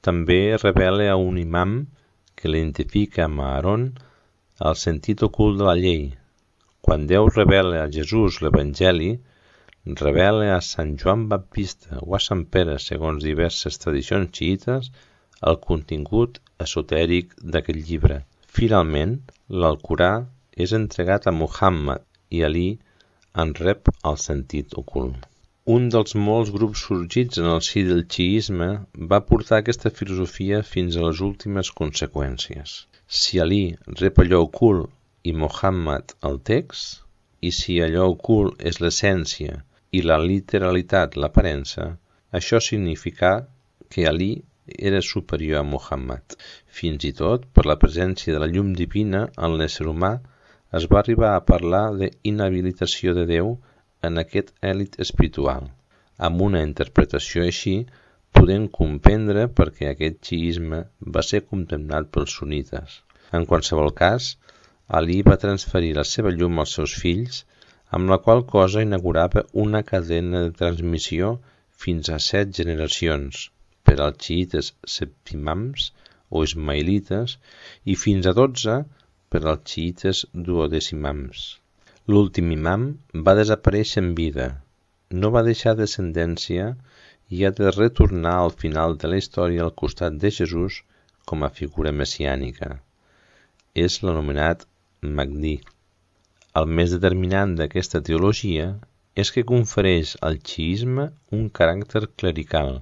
també revela a un imam que l'identifica amb Aaron el sentit ocult de la llei. Quan Déu revela a Jesús l'Evangeli, revela a Sant Joan Baptista o a Sant Pere, segons diverses tradicions xiïtes, el contingut esotèric d'aquest llibre. Finalment, l'Alcorà és entregat a Muhammad i Ali en rep el sentit ocult. Un dels molts grups sorgits en el si del xiisme va portar aquesta filosofia fins a les últimes conseqüències. Si Ali rep allò ocult i Muhammad el text, i si allò ocult és l'essència i la literalitat l'aparença, això significà que Ali era superior a Muhammad. Fins i tot, per la presència de la llum divina en l'ésser humà, es va arribar a parlar d'inhabilitació de Déu en aquest èlit espiritual. Amb una interpretació així, podem comprendre per què aquest xiisme va ser condemnat pels sunnites. En qualsevol cas, Ali va transferir la seva llum als seus fills, amb la qual cosa inaugurava una cadena de transmissió fins a 7 generacions, per als xiïtes septimams o ismaïlites i fins a 12 per als xiïtes duodecimams. L'últim imam va desaparèixer en vida, no va deixar descendència i ha de retornar al final de la història al costat de Jesús com a figura messiànica. És l'anomenat Mahdi. El més determinant d'aquesta teologia és que confereix al xiisme un caràcter clerical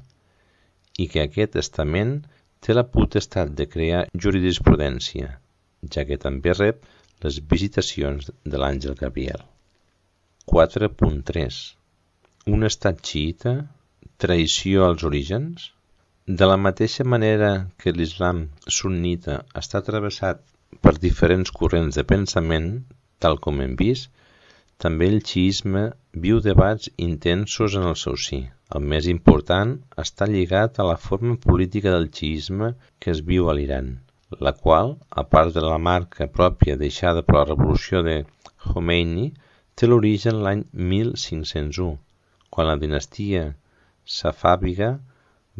i que aquest estament té la potestat de crear jurisprudència, ja que també rep les visitacions de l'àngel Gabriel. 4.3. Un estat xiïta, traïció als orígens? De la mateixa manera que l'islam sunnita està travessat per diferents corrents de pensament, tal com hem vist, també el xiisme viu debats intensos en el seu si. El més important està lligat a la forma política del xiisme que es viu a l'Iran, la qual, a part de la marca pròpia deixada per la revolució de Khomeini, té l'origen l'any 1501, quan la dinastia safàvida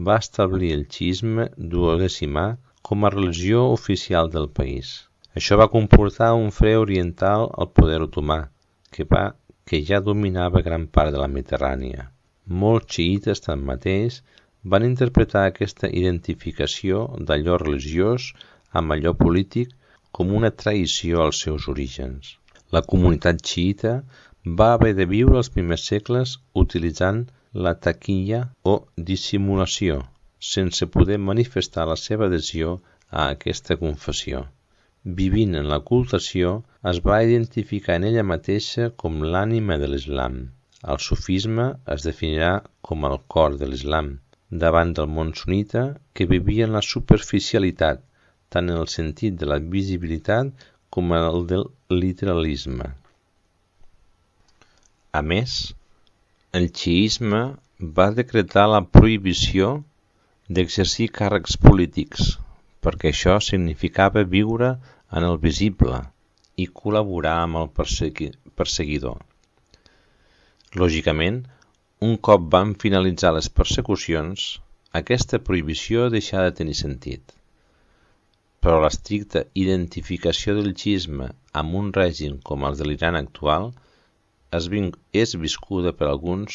va establir el xiisme duodecimà com a religió oficial del país. Això va comportar un fre oriental al poder otomà, que ja dominava gran part de la Mediterrània. Molts xiïtes, tanmateix, van interpretar aquesta identificació d'allò religiós amb allò polític com una traïció als seus orígens. La comunitat xiïta va haver de viure els primers segles utilitzant la taquilla o dissimulació, sense poder manifestar la seva adhesió a aquesta confessió, vivint en l'ocultació es va identificar en ella mateixa com l'ànima de l'Islam. El sufisme es definirà com el cor de l'Islam, davant del món sunnita que vivia en la superficialitat, tant en el sentit de la visibilitat com en el del literalisme. A més, el xiisme va decretar la prohibició d'exercir càrrecs polítics, perquè això significava viure en el visible i col·laborar amb el perseguidor. Lògicament, un cop van finalitzar les persecucions, aquesta prohibició deixà de tenir sentit. Però l'estricta identificació del xiisme amb un règim com el de l'Iran actual és viscuda per alguns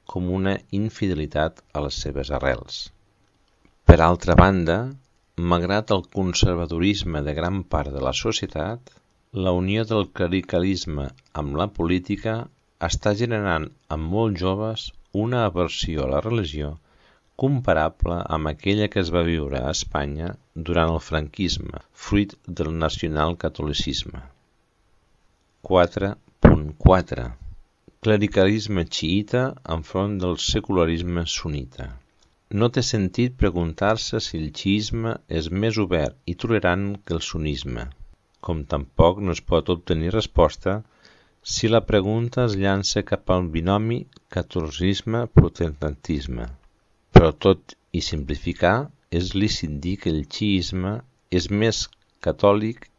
com una infidelitat a les seves arrels. Per altra banda, malgrat el conservadorisme de gran part de la societat, la unió del clericalisme amb la política està generant en molts joves una aversió a la religió comparable amb aquella que es va viure a Espanya durant el franquisme, fruit del nacionalcatolicisme. 4.4. Clericalisme xiïta enfront del secularisme sunnita. No té sentit preguntar-se si el xiisme és més obert i tolerant que el sunnisme, com tampoc no es pot obtenir resposta si la pregunta es llança cap al binomi catolicisme-protestantisme. Però tot i simplificar, és lícit dir que el xiisme és més catòlic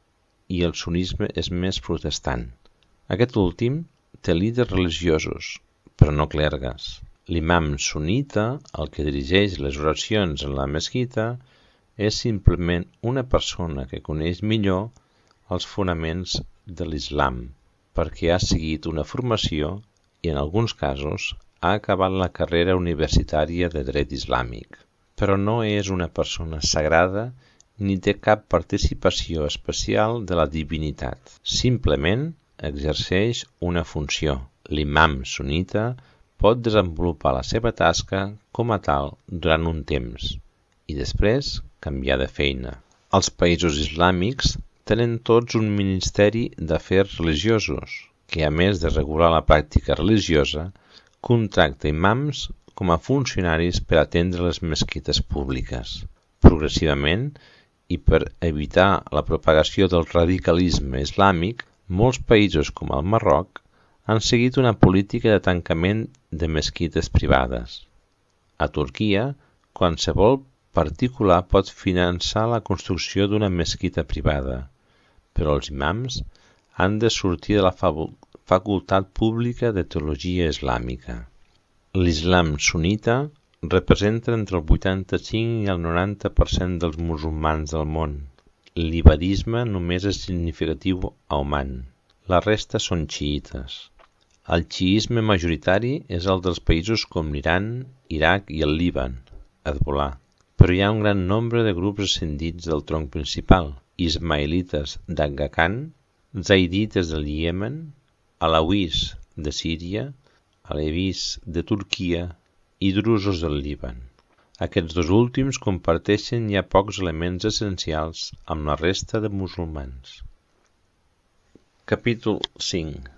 i el sunnisme és més protestant. Aquest últim té líders religiosos, però no clergues. L'imam sunnita, el que dirigeix les oracions en la mesquita, és simplement una persona que coneix millor els fonaments de l'Islam, perquè ha seguit una formació i en alguns casos ha acabat la carrera universitària de dret islàmic. Però no és una persona sagrada ni té cap participació especial de la divinitat. Simplement exerceix una funció. L'imam sunnita pot desenvolupar la seva tasca com a tal durant un temps i després canviar de feina. Els països islàmics tenen tots un ministeri d'afers religiosos que, a més de regular la pràctica religiosa, contracta imams com a funcionaris per atendre les mesquites públiques. Progressivament, i per evitar la propagació del radicalisme islàmic, molts països com el Marroc han seguit una política de tancament de mesquites privades. A Turquia, qualsevol particular pot finançar la construcció d'una mesquita privada, però els imams han de sortir de la facultat pública de teologia islàmica. L'Islam sunnita representa entre el 85 i el 90% dels musulmans del món. L'ibadisme només és significatiu a Oman. La resta són xiïtes. El xiisme majoritari és el dels països com l'Iran, Iraq i el Líban, Hezbollah. Però hi ha un gran nombre de grups ascendits del tronc principal: ismaïlites d'Agha Khan, zaidites del Iemen, alauís de Síria, alevis de Turquia i drusos del Líban. Aquests dos últims comparteixen ja pocs elements essencials amb la resta de musulmans. Capítol 5.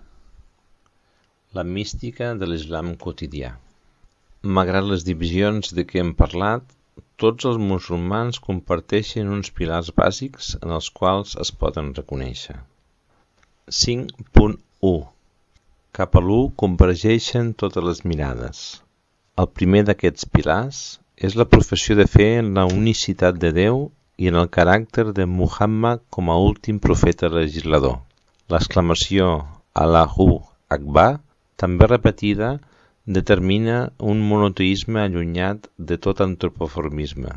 La mística de l'Islam quotidià. Malgrat les divisions de què hem parlat, tots els musulmans comparteixen uns pilars bàsics en els quals es poden reconèixer. 5.1. Cap a l'1 convergeixen totes les mirades. El primer d'aquests pilars és la professió de fe en la unicitat de Déu i en el caràcter de Muhammad com a últim profeta legislador. L'exclamació Allahu Akbar, també repetida, determina un monoteisme allunyat de tot antropoformisme.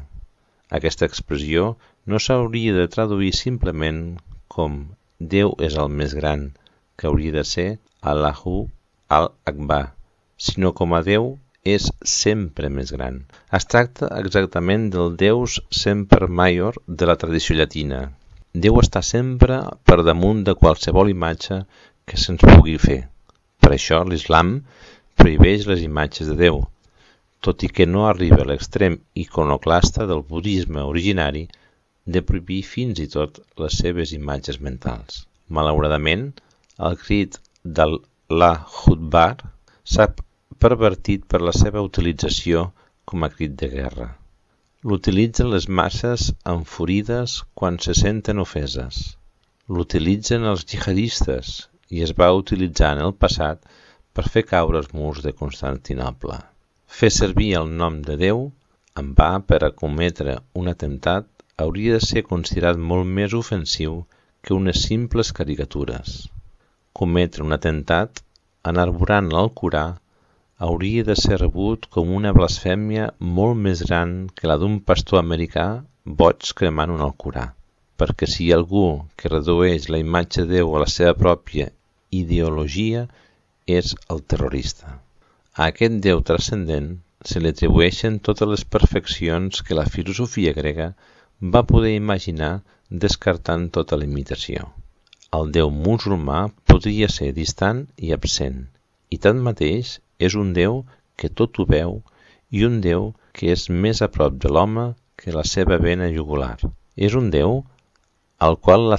Aquesta expressió no s'hauria de traduir simplement com Déu és el més gran, que hauria de ser Allahu al-Akbar, sinó com a Déu és sempre més gran. Es tracta exactament del Deus semper maior de la tradició llatina. Déu està sempre per damunt de qualsevol imatge que se'ns pugui fer. Per això l'Islam prohibeix les imatges de Déu, tot i que no arriba a l'extrem iconoclasta del budisme originari de prohibir fins i tot les seves imatges mentals. Malauradament, el crit d'Allah Akbar s'ha pervertit per la seva utilització com a crit de guerra. L'utilitzen les masses enfurides quan se senten ofeses. L'utilitzen els jihadistes i es va utilitzar en el passat per fer caure els murs de Constantinoble. Fer servir el nom de Déu en va per a cometre un atemptat hauria de ser considerat molt més ofensiu que unes simples caricatures. Cometre un atemptat enarborant l'Alcorà hauria de ser rebut com una blasfèmia molt més gran que la d'un pastor americà boig cremant un Alcorà, perquè si hi ha algú que redueix la imatge de Déu a la seva pròpia ideologia és el terrorista. A aquest Déu transcendent se li atribueixen totes les perfeccions que la filosofia grega va poder imaginar descartant tota la imitació. El Déu musulmà podria ser distant i absent, i tanmateix és un Déu que tot ho veu i un Déu que és més a prop de l'home que la seva vena jugular. És un Déu al qual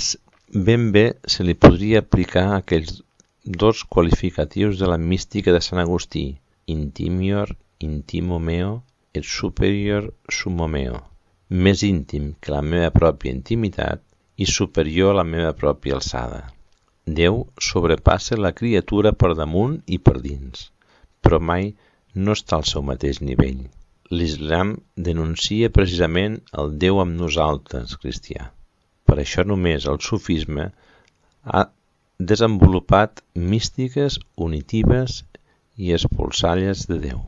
ben bé se li podria aplicar aquells dos qualificatius de la mística de Sant Agustí, intimior intimo meo et superior sumo meo, més íntim que la meva pròpia intimitat i superior a la meva pròpia alçada. Déu sobrepassa la criatura per damunt i per dins, però mai no està al seu mateix nivell. L'Islam denuncia precisament el Déu amb nosaltres, cristià. Per això només el sufisme ha desenvolupat místiques unitives i expulsalles de Déu.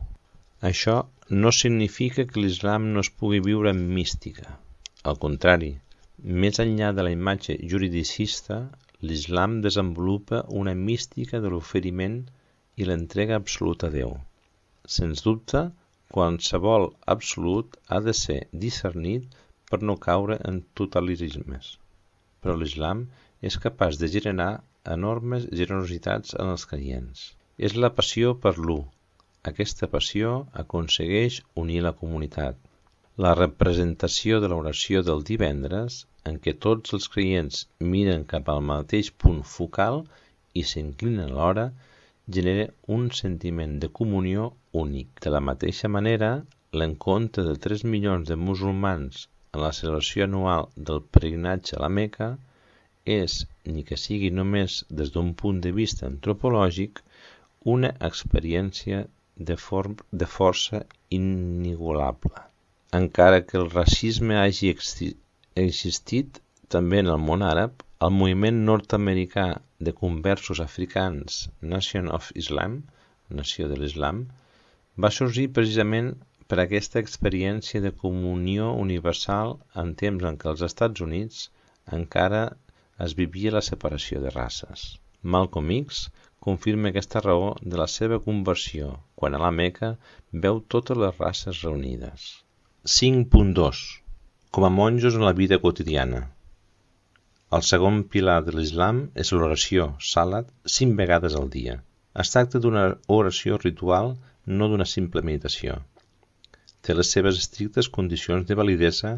Això no significa que l'Islam no es pugui viure en mística. Al contrari, més enllà de la imatge juridicista, l'Islam desenvolupa una mística de l'oferiment i l'entrega absoluta a Déu. Sens dubte, qualsevol absolut ha de ser discernit per no caure en totalitarismes. Però l'Islam és capaç de generar enormes generositats en els creients. És la passió per l'u. Aquesta passió aconsegueix unir la comunitat. La representació de l'oració del divendres, en què tots els creients miren cap al mateix punt focal i s'inclinen alhora, genera un sentiment de comunió únic. De la mateixa manera, l'encontre de 3 milions de musulmans en la celebració anual del pelegrinatge a la Meca és, ni que sigui només des d'un punt de vista antropològic, una experiència de força inigualable. Encara que el racisme hagi existit també en el món àrab, el moviment nord-americà de conversos africans Nation of Islam, Nació de l'Islam, va sorgir precisament per aquesta experiència de comunió universal en temps en què als Estats Units encara es vivia la separació de races. Malcolm X confirma aquesta raó de la seva conversió quan a la Meca veu totes les races reunides. 5.2. Com a monjos en la vida quotidiana. El segon pilar de l'Islam és l'oració, salat, 5 vegades al dia. Es tracta d'una oració ritual, no d'una simple meditació. Té les seves estrictes condicions de validesa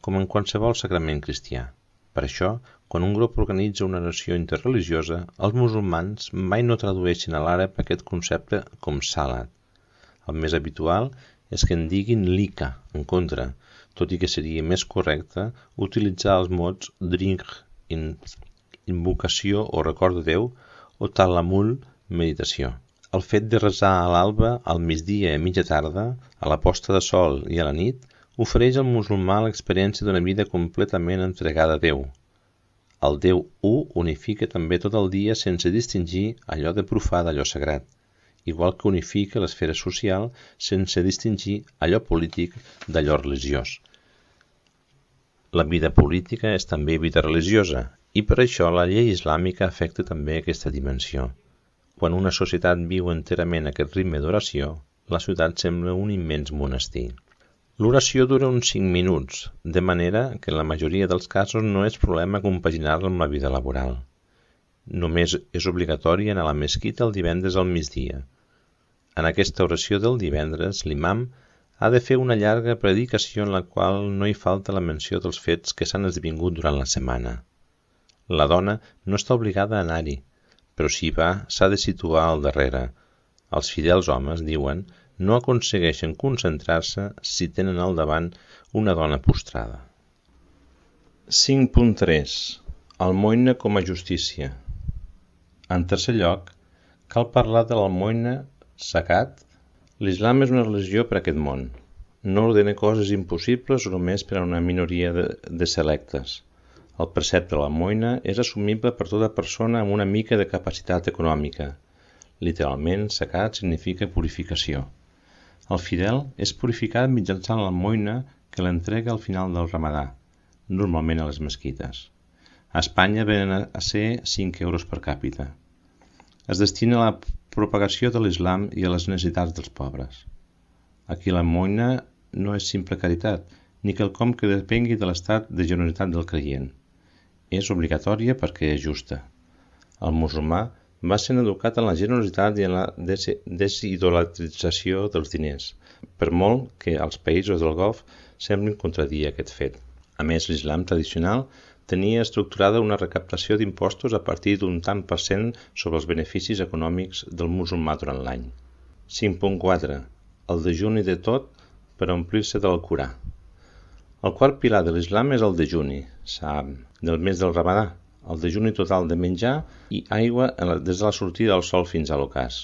com en qualsevol sagrament cristià. Per això, quan un grup organitza una oració interreligiosa, els musulmans mai no tradueixen a l'àrab aquest concepte com salat. El més habitual és que en diguin lika, en contra, tot i que seria més correcte utilitzar els mots drink, invocació o record de Déu, o talamul, meditació. El fet de resar a l'alba, al migdia i a mitja tarda, a la posta de sol i a la nit, ofereix al musulmà l'experiència d'una vida completament entregada a Déu. El Déu U unifica també tot el dia sense distingir allò de profà d'allò sagrat, igual que unifica l'esfera social sense distingir allò polític d'allò religiós. La vida política és també vida religiosa, i per això la llei islàmica afecta també aquesta dimensió. Quan una societat viu enterament aquest ritme d'oració, la ciutat sembla un immens monestir. L'oració dura uns 5 minuts, de manera que en la majoria dels casos no és problema compaginar-la amb la vida laboral. Només és obligatori anar a la mesquita el divendres al migdia. En aquesta oració del divendres, l'imam ha de fer una llarga predicació en la qual no hi falta la menció dels fets que s'han esdevingut durant la setmana. La dona no està obligada a anar-hi, però si va s'ha de situar al darrere. Els fidels homes, diuen, no aconsegueixen concentrar-se si tenen al davant una dona postrada. 5.3. Almoina com a justícia. En tercer lloc, cal parlar de l'almoina zakat. L'islam és una religió per a aquest món. No ordena coses impossibles o només per a una minoria de selectes. El precepte de l'almoina és assumible per tota persona amb una mica de capacitat econòmica. Literalment, zakat significa purificació. El fidel és purificat mitjançant l'almoina que l'entrega al final del ramadà, normalment a les mesquites. A Espanya venen a ser 5 euros per càpita. Es destina a la propagació de l'islam i a les necessitats dels pobres. Aquí l'almoina no és simple caritat, ni quelcom que depengui de l'estat de generositat del creient. És obligatòria perquè és justa. El musulmà va ser educat en la generositat i en la desidolatrització dels diners, per molt que als països del Golf semblin contradir aquest fet. A més, l'islam tradicional tenia estructurada una recaptació d'impostos a partir d'un tant per cent sobre els beneficis econòmics del musulmà durant l'any. 5.4. El dejuni de tot per omplir-se de l'Alcorà. El quart pilar de l'islam és el dejuni, sa'am, del mes del Ramadà, el dejuni total de menjar i aigua des de la sortida del sol fins a l'ocàs.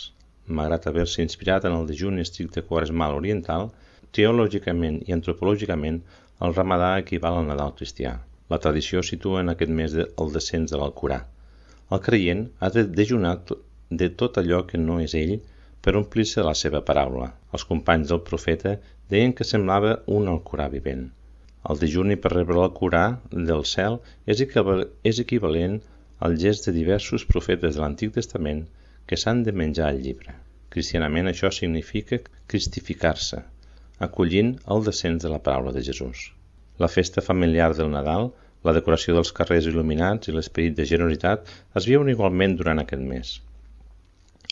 Malgrat haver-se inspirat en el dejuni estricte quaresmal oriental, teològicament i antropològicament el Ramadà equival al Nadal cristià. La tradició situa en aquest mes el descens de l'Alcorà. El creient ha de dejunar de tot allò que no és ell per omplir-se de la seva paraula. Els companys del profeta deien que semblava un Alcorà vivent. El dejuni per rebre l'Alcorà del cel és equivalent al gest de diversos profetes de l'Antic Testament que s'han de menjar el llibre. Cristianament això significa cristificar-se, acollint el descens de la paraula de Jesús. La festa familiar del Nadal, la decoració dels carrers il·luminats i l'esperit de generositat es viuen igualment durant aquest mes.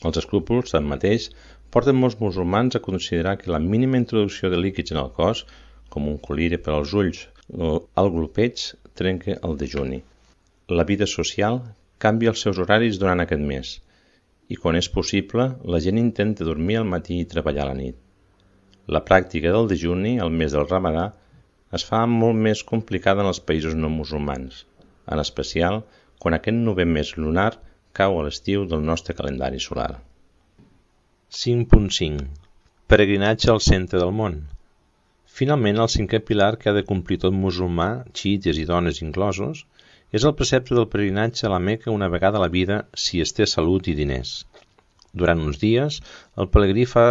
Els escrúpols, tanmateix, porten molts musulmans a considerar que la mínima introducció de líquids en el cos, com un colire per als ulls o el glopeig, trenca el dejuni. La vida social canvia els seus horaris durant aquest mes i, quan és possible, la gent intenta dormir al matí i treballar a la nit. La pràctica del dejuni, al mes del Ramadà, es fa molt més complicada en els països no musulmans, en especial quan aquest 9è mes lunar cau a l'estiu del nostre calendari solar. 5.5. Peregrinatge al centre del món. Finalment, el 5è pilar que ha de complir tot musulmà, xiites i dones inclosos, és el precepte del peregrinatge a la Meca una vegada a la vida si es té salut i diners. Durant uns dies, el pelegrí fa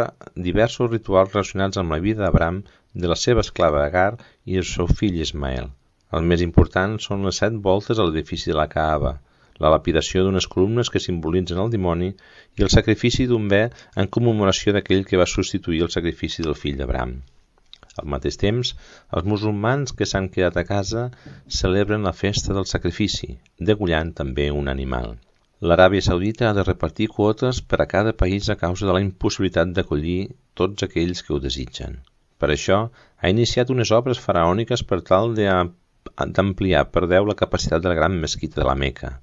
diversos rituals relacionats amb la vida d'Abraham, de la seva esclava Agar i el seu fill Ismael. El més important són les 7 voltes a l'edifici de la Kaaba, la lapidació d'unes columnes que simbolitzen el dimoni i el sacrifici d'un bé en commemoració d'aquell que va substituir el sacrifici del fill d'Abraham. Al mateix temps, els musulmans que s'han quedat a casa celebren la festa del sacrifici, degollant també un animal. L'Aràbia Saudita ha de repartir quotes per a cada país a causa de la impossibilitat d'acollir tots aquells que ho desitgen. Per això, ha iniciat unes obres faraòniques per tal d'ampliar per 10 la capacitat de la gran mesquita de la Meca.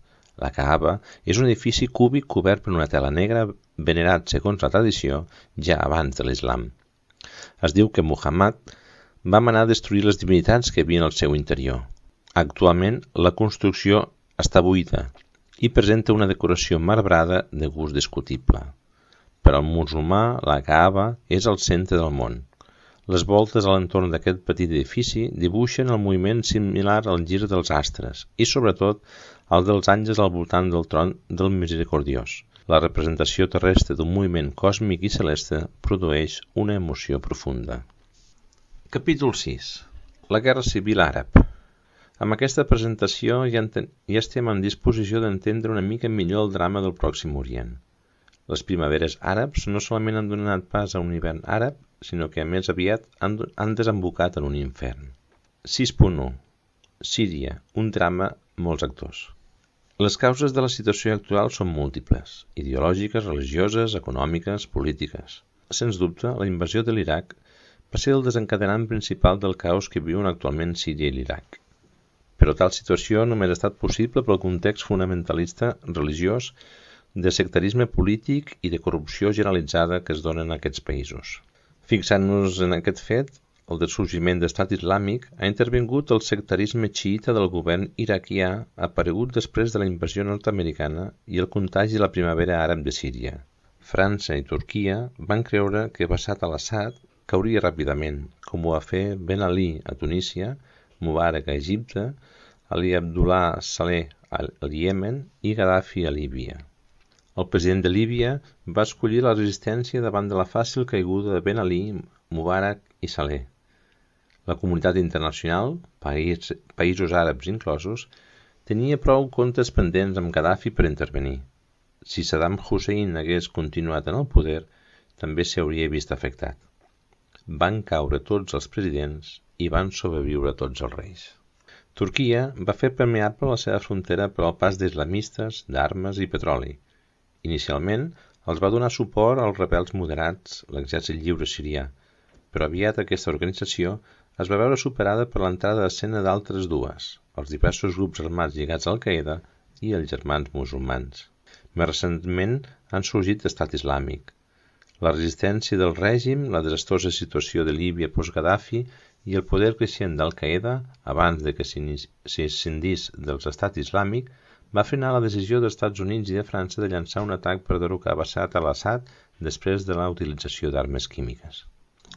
La Kaaba és un edifici cúbic cobert per una tela negra venerat, segons la tradició, ja abans de l'islam. Es diu que Muhammad va manar destruir les divinitats que hi havia al seu interior. Actualment, la construcció està buida i presenta una decoració marbrada de gust discutible. Per al musulmà, la Kaaba és el centre del món. Les voltes a l'entorn d'aquest petit edifici dibuixen el moviment similar al gir dels astres i, sobretot, el dels àngels al voltant del tron del Misericordiós. La representació terrestre d'un moviment còsmic i celeste produeix una emoció profunda. Capítol 6. La Guerra Civil Àrab. Amb aquesta presentació ja estem en disposició d'entendre una mica millor el drama del Pròxim Orient. Les primaveres àrabs no solament han donat pas a un hivern àrab, sinó que més aviat han desembocat en un infern. 6.1. Síria, un drama, molts actors. Les causes de la situació actual són múltiples, ideològiques, religioses, econòmiques, polítiques. Sens dubte, la invasió de l'Iraq va ser el desencadenant principal del caos que viuen actualment Síria i l'Iraq. Però tal situació només ha estat possible pel context fonamentalista religiós, de sectarisme polític i de corrupció generalitzada que es dona en aquests països. Fixant-nos en aquest fet, el del sorgiment d'estat islàmic, ha intervingut el sectarisme xiïta del govern iraquià aparegut després de la invasió nord-americana i el contagi de la primavera àrab de Síria. França i Turquia van creure que Bashar al-Assad cauria ràpidament, com ho va fer Ben Ali a Tunísia, Mubarak a Egipte, Ali Abdullah Saleh al Iemen i Gaddafi a Líbia. El president de Líbia va escollir la resistència davant de la fàcil caiguda de Ben Ali, Mubarak i Saleh. La comunitat internacional, països àrabs inclosos, tenia prou comptes pendents amb Gaddafi per intervenir. Si Saddam Hussein hagués continuat en el poder, també s'hauria vist afectat. Van caure tots els presidents i van sobreviure tots els reis. Turquia va fer permeable la seva frontera per al pas d'islamistes, d'armes i petroli. Inicialment, els va donar suport als rebels moderats, l'Exèrcit Lliure Sirià, però aviat aquesta organització es va veure superada per l'entrada d'escena d'altres dues, els diversos grups armats lligats a Al-Qaeda i els germans musulmans. Més recentment han sorgit l'Estat Islàmic. La resistència del règim, la desastrosa situació de Líbia post-Gaddafi i el poder creixent d'Al-Qaeda, abans de que s'escindís de l'Estat Islàmic, va frenar la decisió dels Estats Units i de França de llançar un atac per derrocar Bashar al-Assad després de la utilització d'armes químiques.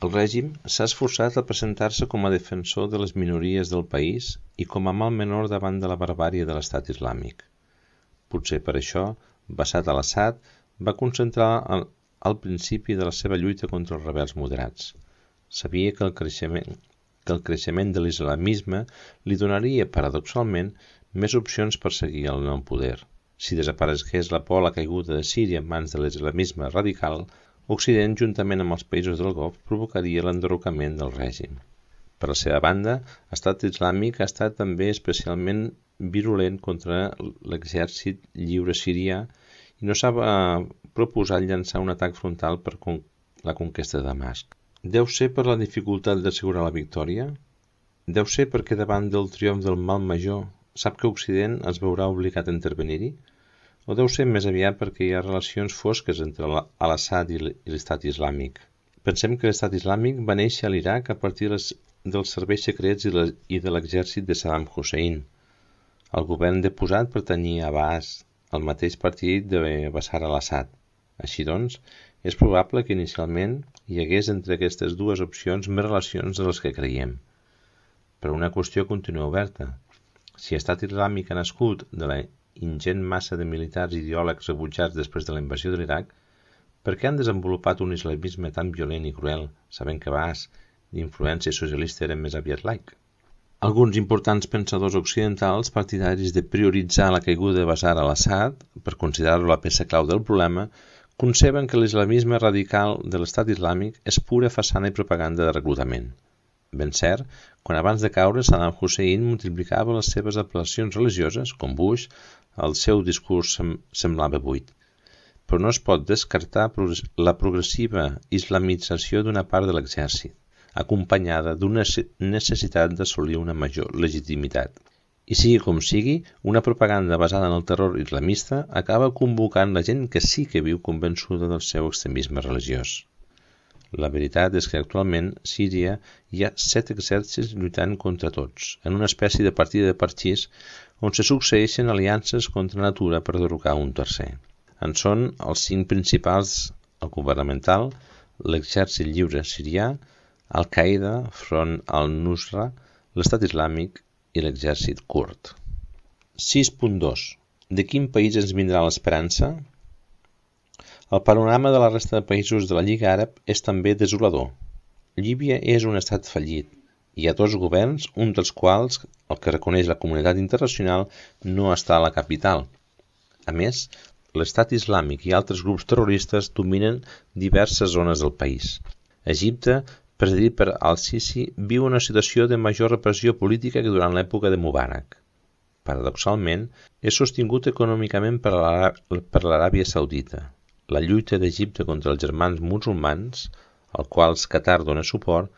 El règim s'ha esforçat a presentar-se com a defensor de les minories del país i com a mal menor davant de la barbàrie de l'Estat Islàmic. Potser per això, Bashar al-Assad va concentrar al principi de la seva lluita contra els rebels moderats. Sabia que el creixement de l'islamisme li donaria, paradoxalment, més opcions per seguir el nou poder. Si desaparegués la por a la caiguda de Síria en mans de l'islamisme radical, Occident, juntament amb els països del Golf, provocaria l'enderrocament del règim. Per la seva banda, l'Estat Islàmic ha estat també especialment virulent contra l'Exèrcit Lliure Sirià i no s'ha proposat llançar un atac frontal per la conquesta de Damasc. Deu ser per la dificultat d'assegurar la victòria? Deu ser perquè davant del triomf del mal major sap que Occident es veurà obligat a intervenir-hi? O deu ser més aviat perquè hi ha relacions fosques entre al-Assad i l'Estat Islàmic? Pensem que l'Estat Islàmic va néixer a l'Iraq a partir dels serveis secrets i de l'exèrcit de Saddam Hussein. El govern deposat pertanyia a Baas, el mateix partit de Bashar al-Assad. Així doncs, és probable que inicialment hi hagués entre aquestes dues opcions més relacions de les que creiem. Però una qüestió continua oberta. Si l'Estat Islàmic ha nascut de la ingent massa de militars i ideòlegs rebutjats després de la invasió de l'Iraq, per què han desenvolupat un islamisme tan violent i cruel, sabent que Baas, d'influència socialista, era més aviat laic? Alguns importants pensadors occidentals, partidaris de prioritzar la caiguda de Bashar al-Assad, per considerar-lo la peça clau del problema, conceben que l'islamisme radical de l'Estat Islàmic és pura façana i propaganda de reclutament. Ben cert, quan abans de caure Saddam Hussein multiplicava les seves apel·lacions religioses, com Bush, el seu discurs semblava buit. Però no es pot descartar la progressiva islamització d'una part de l'exèrcit, acompanyada d'una necessitat d'assolir una major legitimitat. I sigui com sigui, una propaganda basada en el terror islamista acaba convocant la gent que sí que viu convençuda del seu extremisme religiós. La veritat és que actualment a Síria hi ha 7 exèrcits lluitant contra tots, en una espècie de partida de parxís on se succeeixen aliances contra natura per derrocar un tercer. En són els 5 principals: el governamental, l'Exèrcit Lliure Sirià, Al-Qaeda, Front al-Nusra, l'Estat Islàmic i l'Exèrcit Kurd. 6.2. De quin país ens vindrà l'esperança? El panorama de la resta de països de la Lliga Àrab és també desolador. Líbia és un estat fallit. Hi ha 2 governs, un dels quals, el que reconeix la comunitat internacional, no està a la capital. A més, l'Estat Islàmic i altres grups terroristes dominen diverses zones del país. Egipte, presidit per al-Sisi, viu una situació de major repressió política que durant l'època de Mubarak. Paradoxalment, és sostingut econòmicament per l'Aràbia Saudita. La lluita d'Egipte contra els germans musulmans, al qual Qatar dona suport,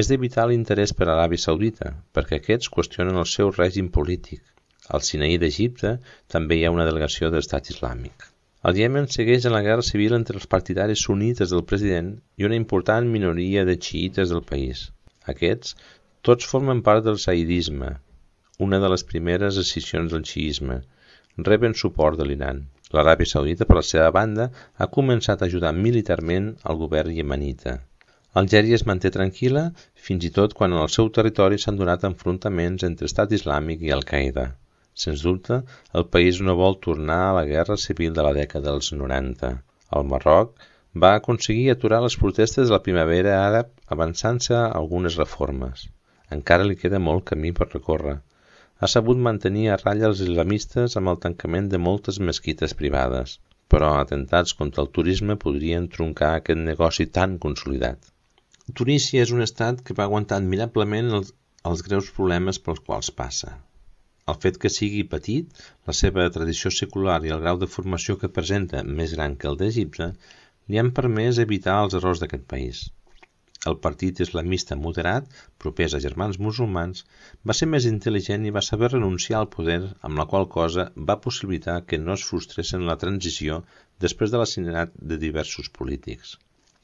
és de vital interès per a Aràbia Saudita, perquè aquests qüestionen el seu règim polític. Al Sinaí d'Egipte també hi ha una delegació de l'Estat Islàmic. El Iemen segueix en la guerra civil entre els partidaris sunites del president i una important minoria de xiïtes del país. Aquests tots formen part del zaidisme, una de les primeres escissions del xiisme. Reben suport de l'Iran. L'Aràbia Saudita, per la seva banda, ha començat a ajudar militarment al govern iemenita. Algèria es manté tranquil·la fins i tot quan en el seu territori s'han donat enfrontaments entre Estat Islàmic i Al-Qaeda. Sens dubte, el país no vol tornar a la guerra civil de la dècada dels 90. El Marroc va aconseguir aturar les protestes de la primavera àrab avançant-se a algunes reformes. Encara li queda molt camí per recórrer. Ha sabut mantenir a ratlla els islamistes amb el tancament de moltes mesquites privades, però atemptats contra el turisme podrien truncar aquest negoci tan consolidat. Tunísia és un estat que va aguantar admirablement els greus problemes pels quals passa. El fet que sigui petit, la seva tradició secular i el grau de formació que presenta més gran que el d'Egipte, li han permès evitar els errors d'aquest país. El partit islamista moderat, propers a germans musulmans, va ser més intel·ligent i va saber renunciar al poder, amb la qual cosa va possibilitar que no es frustressin la transició després de l'assassinat de diversos polítics.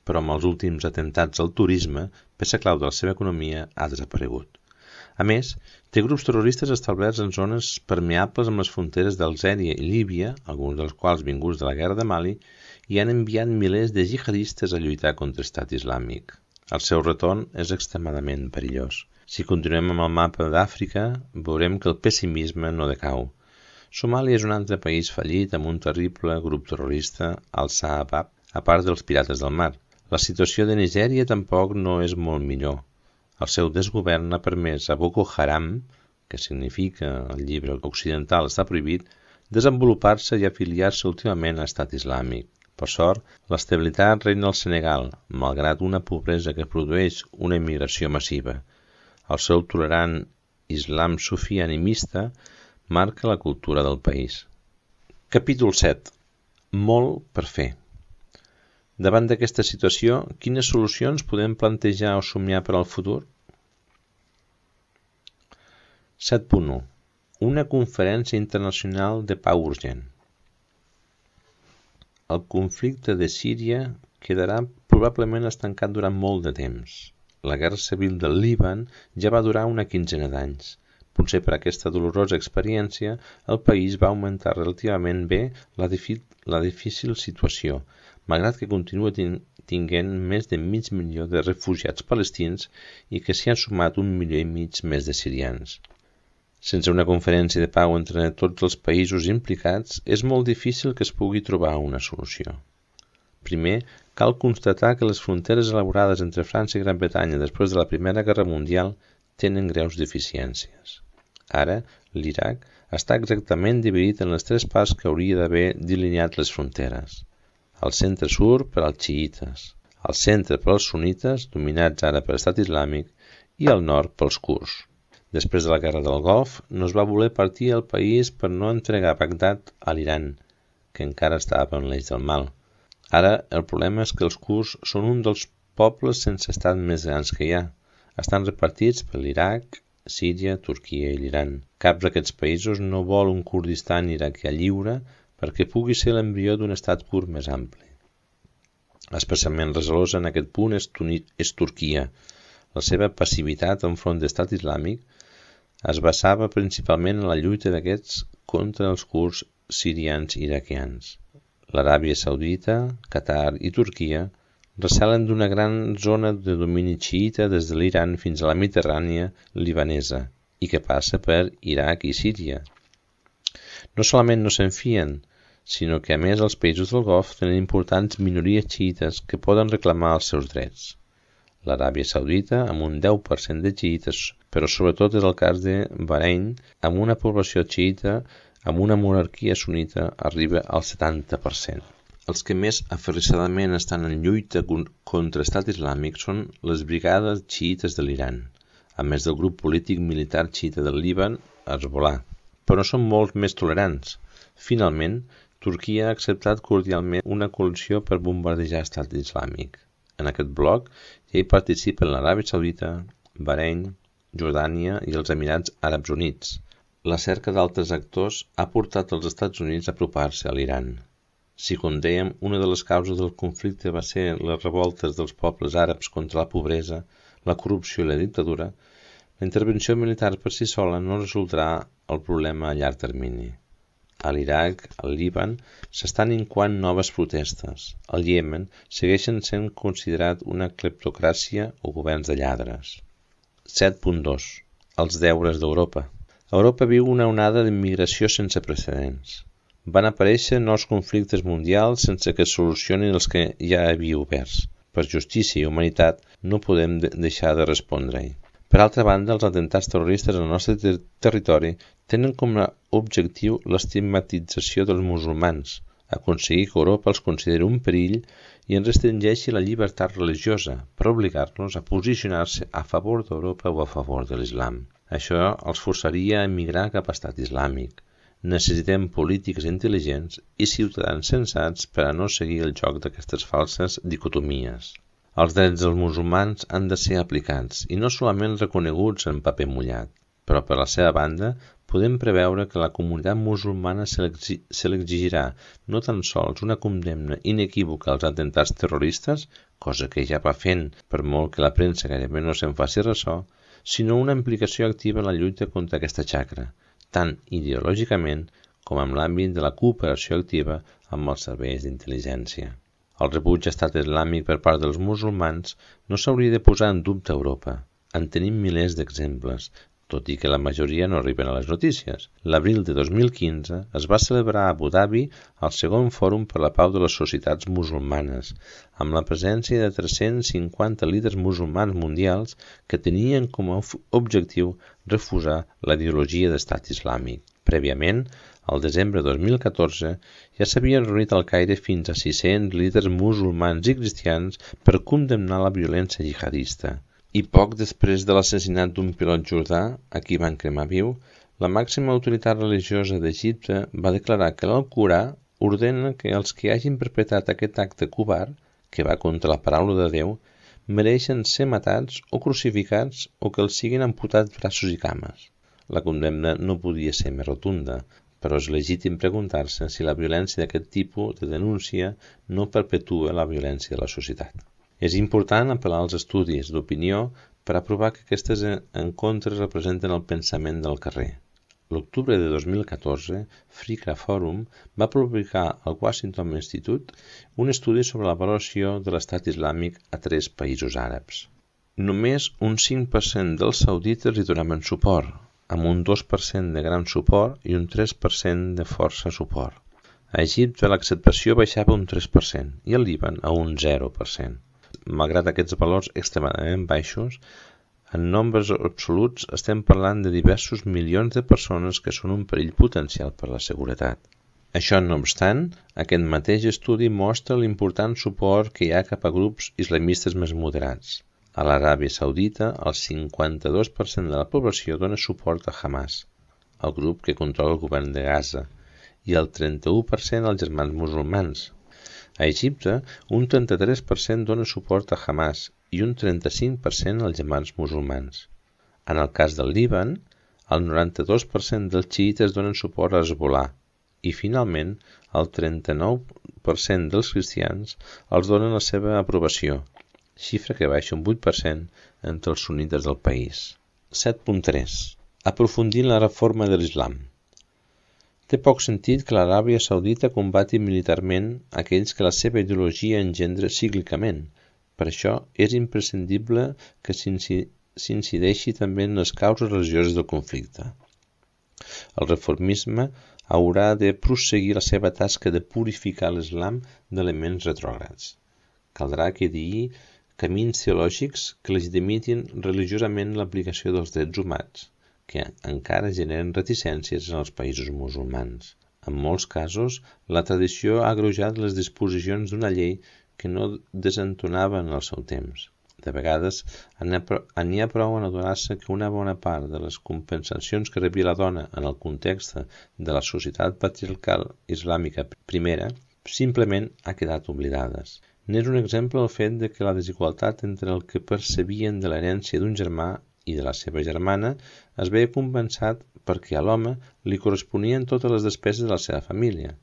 Però amb els últims atemptats al turisme, peça clau de la seva economia ha desaparegut. A més, té grups terroristes establerts en zones permeables amb les fronteres d'Algèria i Líbia, alguns dels quals vinguts de la guerra de Mali, i han enviat milers de jihadistes a lluitar contra l'Estat Islàmic. El seu retorn és extremadament perillós. Si continuem amb el mapa d'Àfrica, veurem que el pessimisme no decau. Somàlia és un altre país fallit amb un terrible grup terrorista, el Shabaab, a part dels pirates del mar. La situació de Nigèria tampoc no és molt millor. El seu desgovern ha permès a Boko Haram, que significa el llibre occidental està prohibit, desenvolupar-se i afiliar-se últimament a l'Estat Islàmic. Per sort, l'estabilitat reina al Senegal, malgrat una pobresa que produeix una immigració massiva. El seu tolerant islam sufí animista marca la cultura del país. Capítol 7. Molt per fer. Davant d'aquesta situació, quines solucions podem plantejar o somiar per al futur? 7.1. Una conferència internacional de pau urgent. El conflicte de Síria quedarà probablement estancat durant molt de temps. La guerra civil del Líban ja va durar una quinzena d'anys. Potser per aquesta dolorosa experiència, el país va augmentar relativament bé la difícil situació, malgrat que continua tinguent més de mig milió de refugiats palestins i que s'hi han sumat 1,5 milió més de sirians. Sense una conferència de pau entre tots els països implicats, és molt difícil que es pugui trobar una solució. Primer, cal constatar que les fronteres elaborades entre França i Gran Bretanya després de la Primera Guerra Mundial tenen greus deficiències. Ara, l'Iraq està exactament dividit en les tres parts que hauria d'haver delineat les fronteres. El centre-sud per als xiïtes, el centre per als sunites, dominats ara per l'Estat Islàmic, i el nord pels kurds. Després de la Guerra del Golf, no es va voler partir el país per no entregar Bagdad a l'Iran, que encara estava en l'eix del mal. Ara, el problema és que els kurds són un dels pobles sense estat més grans que hi ha. Estan repartits per l'Iraq, Síria, Turquia i l'Iran. Cap d'aquests països no vol un Kurdistan iraquià lliure perquè pugui ser l'embrió d'un estat kurd més ampli. Especialment resalosa en aquest punt és Turquia. La seva passivitat enfront de l'Estat Islàmic es basava principalment en la lluita d'aquests contra els kurds sirians i iraquians. L'Aràbia Saudita, Qatar i Turquia recelen d'una gran zona de domini xiïta des de l'Iran fins a la Mediterrània libanesa i que passa per Iraq i Síria. No solament no se'n fien, sinó que a més els països del Golf tenen importants minories xiïtes que poden reclamar els seus drets. L'Aràbia Saudita amb un 10% de xiïtes, però sobretot és el cas de Bahrein, amb una població xiïta amb una monarquia sunita arriba al 70%. Els que més aferrissadament estan en lluita contra l'Estat Islàmic són les brigades xiïtes de l'Iran, a més del grup polític militar xiïta del Líban, Hezbollah, però són molt més tolerants. Finalment, Turquia ha acceptat cordialment una coalició per bombardejar l'Estat Islàmic. En aquest bloc ja hi participen l'Aràbia Saudita, Bahrein, Jordània i els Emirats Àrabs Units. La cerca d'altres actors ha portat els Estats Units a apropar-se a l'Iran. Si, com dèiem, una de les causes del conflicte va ser les revoltes dels pobles àrabs contra la pobresa, la corrupció i la dictadura, la intervenció militar per si sola no resoldrà el problema a llarg termini. A l'Iraq, al Líban, s'estan incoant noves protestes. Al Iemen segueixen sent considerat una cleptocràcia o governs de lladres. 7.2. Els deures d'Europa. Europa viu una onada d'immigració sense precedents. Van aparèixer nous conflictes mundials sense que es solucionin els que ja havia oberts. Per justícia i humanitat no podem deixar de respondre-hi. Per altra banda, els atemptats terroristes al nostre territori tenen com a objectiu l'estigmatització dels musulmans, aconseguir que Europa els consideri un perill i en restringeixi la llibertat religiosa per obligar-los a posicionar-se a favor d'Europa o a favor de l'islam. Això els forçaria a emigrar cap a estat islàmic. Necessitem polítiques intel·ligents i ciutadans sensats per a no seguir el joc d'aquestes falses dicotomies. Els drets dels musulmans han de ser aplicats i no solament reconeguts en paper mullat, però per la seva banda podem preveure que la comunitat musulmana se l'exigirà no tan sols una condemna inequívoca als atemptats terroristes, cosa que ja va fent per molt que la premsa gairebé no se'n faci ressò, sinó una implicació activa en la lluita contra aquesta xacra, tant ideològicament com en l'àmbit de la cooperació activa amb els serveis d'intel·ligència. El rebuig a estat islàmic per part dels musulmans no s'hauria de posar en dubte a Europa. En tenim milers d'exemples, tot i que la majoria no arriben a les notícies. L'abril de 2015 es va celebrar a Abu Dhabi el segon fòrum per la pau de les societats musulmanes, amb la presència de 350 líders musulmans mundials que tenien com a objectiu refusar la ideologia d'estat islàmic. Prèviament, al desembre de 2014, ja s'havien reunit al Caire fins a 600 líders musulmans i cristians per condemnar la violència jihadista. I poc després de l'assassinat d'un pilot jordà, a qui van cremar viu, la màxima autoritat religiosa d'Egipte va declarar que l'Alcorà ordena que els que hagin perpetrat aquest acte covard, que va contra la paraula de Déu, mereixen ser matats o crucificats o que els siguin amputats braços i cames. La condemna no podia ser més rotunda, però és legítim preguntar-se si la violència d'aquest tipus de denúncia no perpetua la violència de la societat. És important apel·lar als estudis d'opinió per a provar que aquestes encontres representen el pensament del carrer. L'octubre de 2014, Fricra Forum va publicar al Washington Institute un estudi sobre la valoració de l'estat islàmic a 3 països àrabs. Només un 5% dels saudites li donaven suport, amb un 2% de gran suport i un 3% de força suport. A Egipte l'acceptació baixava un 3% i al Líban a un 0%. Malgrat aquests valors extremadament baixos, en nombres absoluts estem parlant de diversos milions de persones que són un perill potencial per la seguretat. Això no obstant, aquest mateix estudi mostra l'important suport que hi ha cap a grups islamistes més moderats. A l'Aràbia Saudita, el 52% de la població dona suport a Hamas, el grup que controla el govern de Gaza, i el 31% als germans musulmans. A Egipte, un 33% dona suport a Hamas i un 35% als germans musulmans. En el cas del Líban, el 92% dels xiites donen suport a Hezbollah i, finalment, el 39% dels cristians els donen la seva aprovació, xifra que baixa un 8% entre els sunnites del país. 7.3. Aprofundir en la reforma de l'islam. Té poc sentit que l'Aràbia Saudita combati militarment aquells que la seva ideologia engendra cíclicament. Per això és imprescindible que s'incideixi també en les causes religioses del conflicte. El reformisme haurà de prosseguir la seva tasca de purificar l'islam d'elements retrògrads. Caldrà que digui camins teològics que legitimitin religiosament l'aplicació dels drets humans, que encara generen reticències en els països musulmans. En molts casos, la tradició ha agreujat les disposicions d'una llei que no desentonava en el seu temps. De vegades, n'hi ha prou en adonar-se que una bona part de les compensacions que rebia la dona en el context de la societat patriarcal islàmica primera simplement ha quedat oblidades. N'és un exemple el fet de que la desigualtat entre el que percebien de l'herència d'un germà i de la seva germana es veia compensat perquè a l'home li corresponien totes les despeses de la seva família.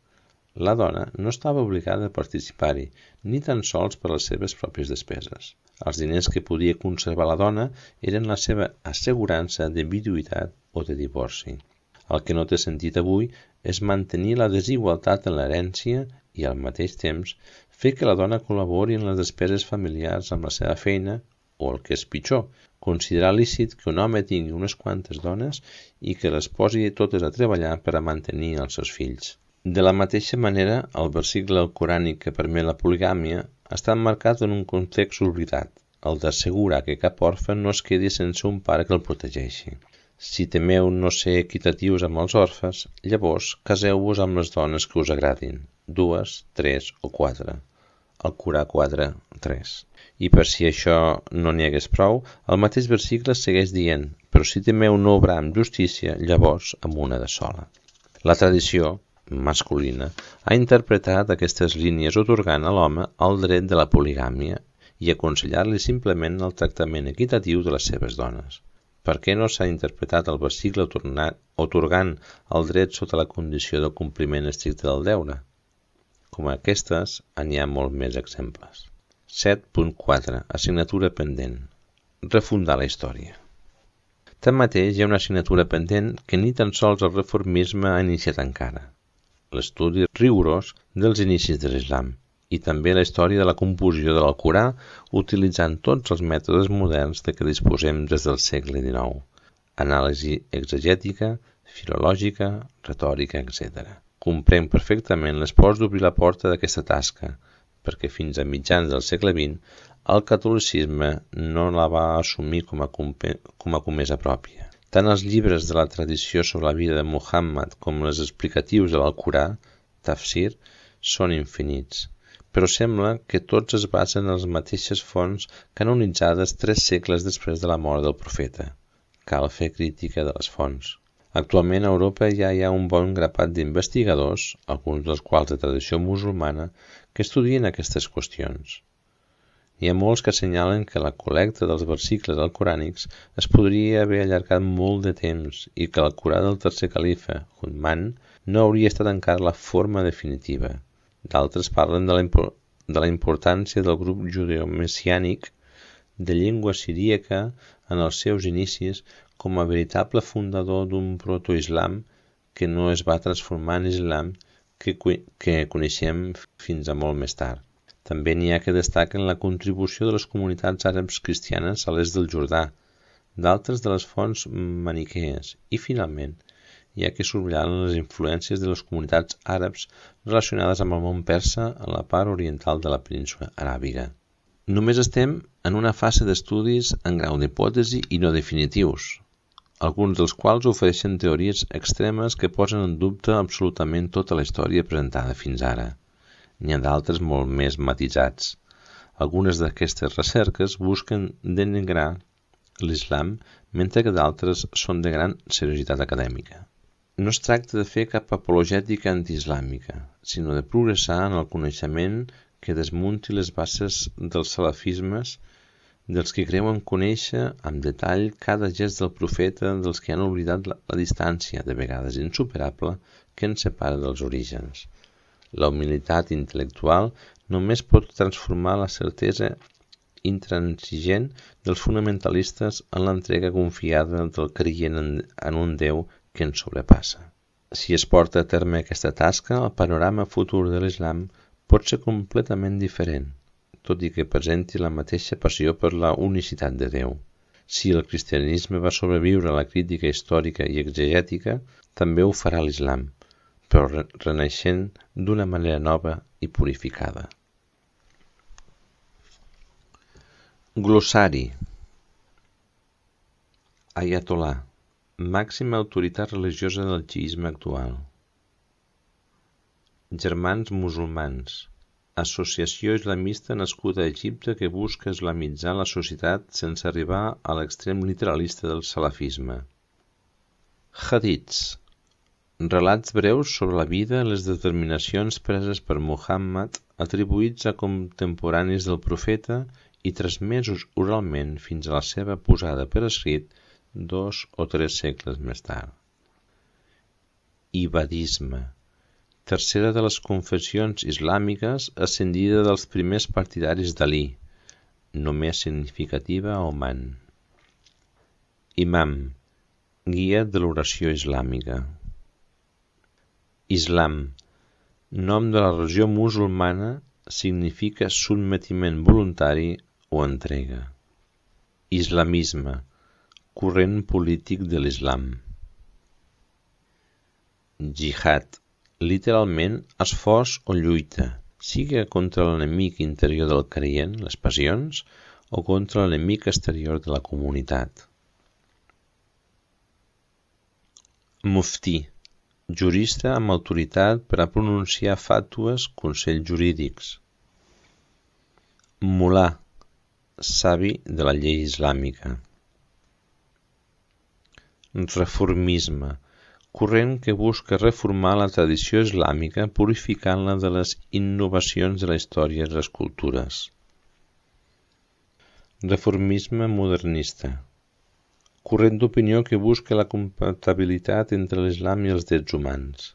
La dona no estava obligada a participar-hi, ni tan sols per les seves pròpies despeses. Els diners que podia conservar la dona eren la seva assegurança de viduïtat o de divorci. El que no té sentit avui és mantenir la desigualtat en l'herència i al mateix temps fer que la dona col·labori en les despeses familiars amb la seva feina o, el que és pitjor, considerar lícit que un home tingui unes quantes dones i que les posi totes a treballar per a mantenir els seus fills. De la mateixa manera, el versicle alcorànic que permet la poligàmia està emmarcat en un context oblidat, el d'assegurar que cap orfe no es quedi sense un pare que el protegeixi. Si temeu no ser equitatius amb els orfes, llavors caseu-vos amb les dones que us agradin, 2, 3 o 4. Alcorà 4, 3. I per si això no n'hi hagués prou, el mateix versicle segueix dient, però si temeu no obrar amb justícia, llavors amb una de sola. La tradició masculina ha interpretat aquestes línies atorgant a l'home el dret de la poligàmia i aconsellar-li simplement el tractament equitatiu de les seves dones. Per què no s'ha interpretat el versicle atorgant el dret sota la condició del compliment estricte del deure? Com aquestes, n'hi ha molt més exemples. 7.4. Assignatura pendent. Refundar la història. Tanmateix, hi ha una assignatura pendent que ni tan sols el reformisme ha iniciat encara. L'estudi rigorós dels inicis de l'islam i també la història de la composició de l'Alcorà utilitzant tots els mètodes moderns de què disposem des del segle XIX. Anàlisi exegètica, filològica, retòrica, etc. Comprenc perfectament l'esforç d'obrir la porta d'aquesta tasca, perquè fins a mitjans del segle XX el catolicisme no la va assumir com a comesa pròpia. Tant els llibres de la tradició sobre la vida de Muhammad com els explicatius de l'Alcorà, tafsir, són infinits, però sembla que tots es basen en les mateixes fonts canonitzades 3 segles després de la mort del profeta. Cal fer crítica de les fonts. Actualment a Europa ja hi ha un bon grapat d'investigadors, alguns dels quals de tradició musulmana, que estudien aquestes qüestions. Hi ha molts que assenyalen que la col·lecta dels versicles alcorànics es podria haver allargat molt de temps i que l'Alcorà del tercer califa, Uthman, no hauria estat encara la forma definitiva. D'altres parlen de la importància del grup judeomessiànic de llengua siríaca en els seus inicis com a veritable fundador d'un protoislam que no es va transformar en islam que coneixem fins a molt més tard. També n'hi ha que destaquen la contribució de les comunitats àrabs cristianes a l'est del Jordà, d'altres de les fonts maniquees i, finalment, hi ha que subratllar les influències de les comunitats àrabs relacionades amb el món persa en la part oriental de la península aràbiga. Només estem en una fase d'estudis en grau d'hipòtesi i no definitius, alguns dels quals ofereixen teories extremes que posen en dubte absolutament tota la història presentada fins ara. N'hi ha d'altres molt més matisats. Algunes d'aquestes recerques busquen denigrar l'islam, mentre que d'altres són de gran seriositat acadèmica. No es tracta de fer cap apologètica antiislàmica, sinó de progressar en el coneixement que desmunti les bases dels salafismes, dels que creuen conèixer amb detall cada gest del profeta, dels que han oblidat la distància, de vegades insuperable, que ens separa dels orígens. La humilitat intel·lectual només pot transformar la certesa intransigent dels fonamentalistes en l'entrega confiada del creient en un Déu que ens sobrepassa. Si es porta a terme aquesta tasca, el panorama futur de l'islam pot ser completament diferent, tot i que presenti la mateixa passió per la unicitat de Déu. Si el cristianisme va sobreviure a la crítica històrica i exegètica, també ho farà l'islam, però renaixent d'una manera nova i purificada. Glossari. Ayatollah, màxima autoritat religiosa del xiisme actual. Germans musulmans, associació islamista nascuda a Egipte que busca islamitzar la societat sense arribar a l'extrem literalista del salafisme. Hadits, Relats breus sobre la vida i les determinacions preses per Muhammad, atribuïts a contemporanis del profeta i transmesos oralment fins a la seva posada per escrit 2 o 3 segles més tard. Ibadisme, tercera de les confessions islàmiques ascendida dels primers partidaris d'Alí, només significativa a Oman. Imam, guia de l'oració islàmica. Islam, nom de la religió musulmana, significa sotmetiment voluntari o entrega. Islamisme, corrent polític de l'Islam. Jihad, literalment esforç o lluita, sigui contra l'enemic interior del creient, les passions, o contra l'enemic exterior de la comunitat. Muftí, jurista amb autoritat per a pronunciar fàtues, consells jurídics. Mulà, savi de la llei islàmica. Reformisme, corrent que busca reformar la tradició islàmica purificant-la de les innovacions de la història i les cultures. Reformisme modernista, corrent d'opinió que busca la compatibilitat entre l'islam i els drets humans.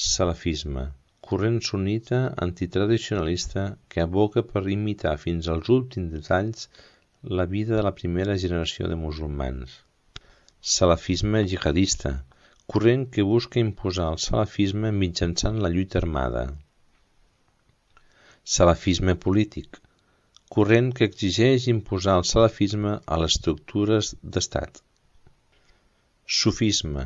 Salafisme, corrent sunnita antitradicionalista que aboca per imitar fins als últims detalls la vida de la primera generació de musulmans. Salafisme jihadista, corrent que busca imposar el salafisme mitjançant la lluita armada. Salafisme polític, corrent que exigeix imposar el salafisme a les estructures d'estat. Sufisme,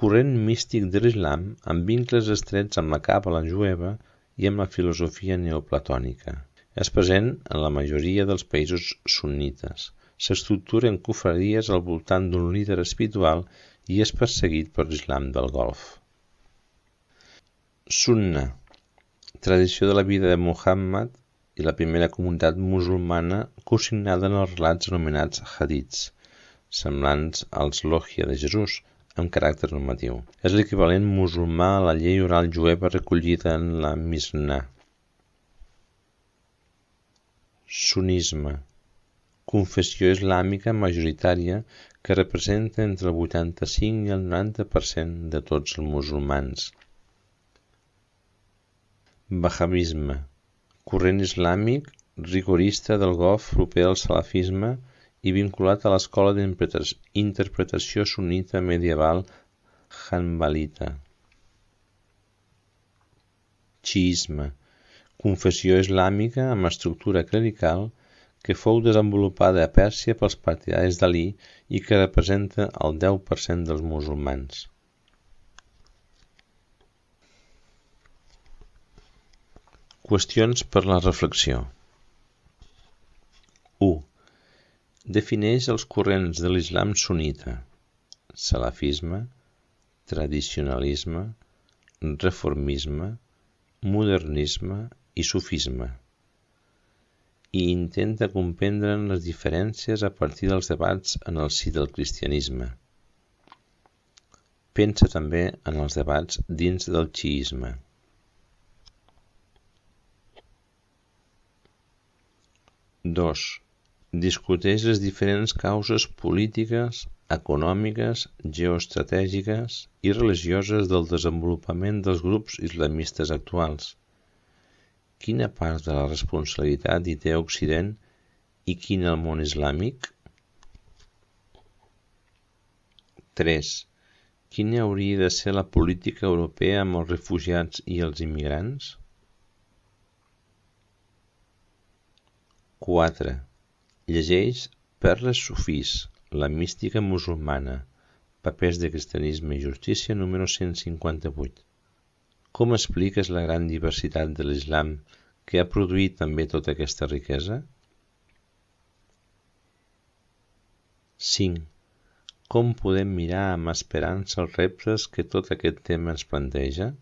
corrent místic de l'islam amb vincles estrets amb la càbala jueva i amb la filosofia neoplatònica. És present en la majoria dels països sunnites. S'estructura en confraries al voltant d'un líder espiritual i és perseguit per l'islam del Golf. Sunna, tradició de la vida de Muhammad i la primera comunitat musulmana consignada en els relats anomenats hadits, semblants als Logia de Jesús, amb caràcter normatiu. És l'equivalent musulmà a la llei oral jueva recollida en la Mishnah. Sunisme, confessió islàmica majoritària que representa entre el 85 i el 90% de tots els musulmans. Wahhabisme, corrent islàmic rigorista del Golf proper al salafisme i vinculat a l'escola d'interpretació sunnita medieval hanbalita. Xiisme, confessió islàmica amb estructura clerical que fou desenvolupada a Pèrsia pels partidaris d'Alí i que representa el 10% dels musulmans. Qüestions per la reflexió. 1. Defineix els corrents de l'islam sunnita, salafisme, tradicionalisme, reformisme, modernisme i sufisme, i intenta comprendre'n les diferències a partir dels debats en el si del cristianisme. Pensa també en els debats dins del xiisme. 2. Discuteix les diferents causes polítiques, econòmiques, geoestratègiques i religioses del desenvolupament dels grups islamistes actuals. Quina part de la responsabilitat hi té Occident i quina el món islàmic? 3. Quina hauria de ser la política europea amb els refugiats i els immigrants? 4. Llegeix Perles sufís, la mística musulmana, papers de cristianisme i justícia número 158. Com expliques la gran diversitat de l'islam que ha produït també tota aquesta riquesa? 5. Com podem mirar amb esperança els reptes que tot aquest tema ens planteja?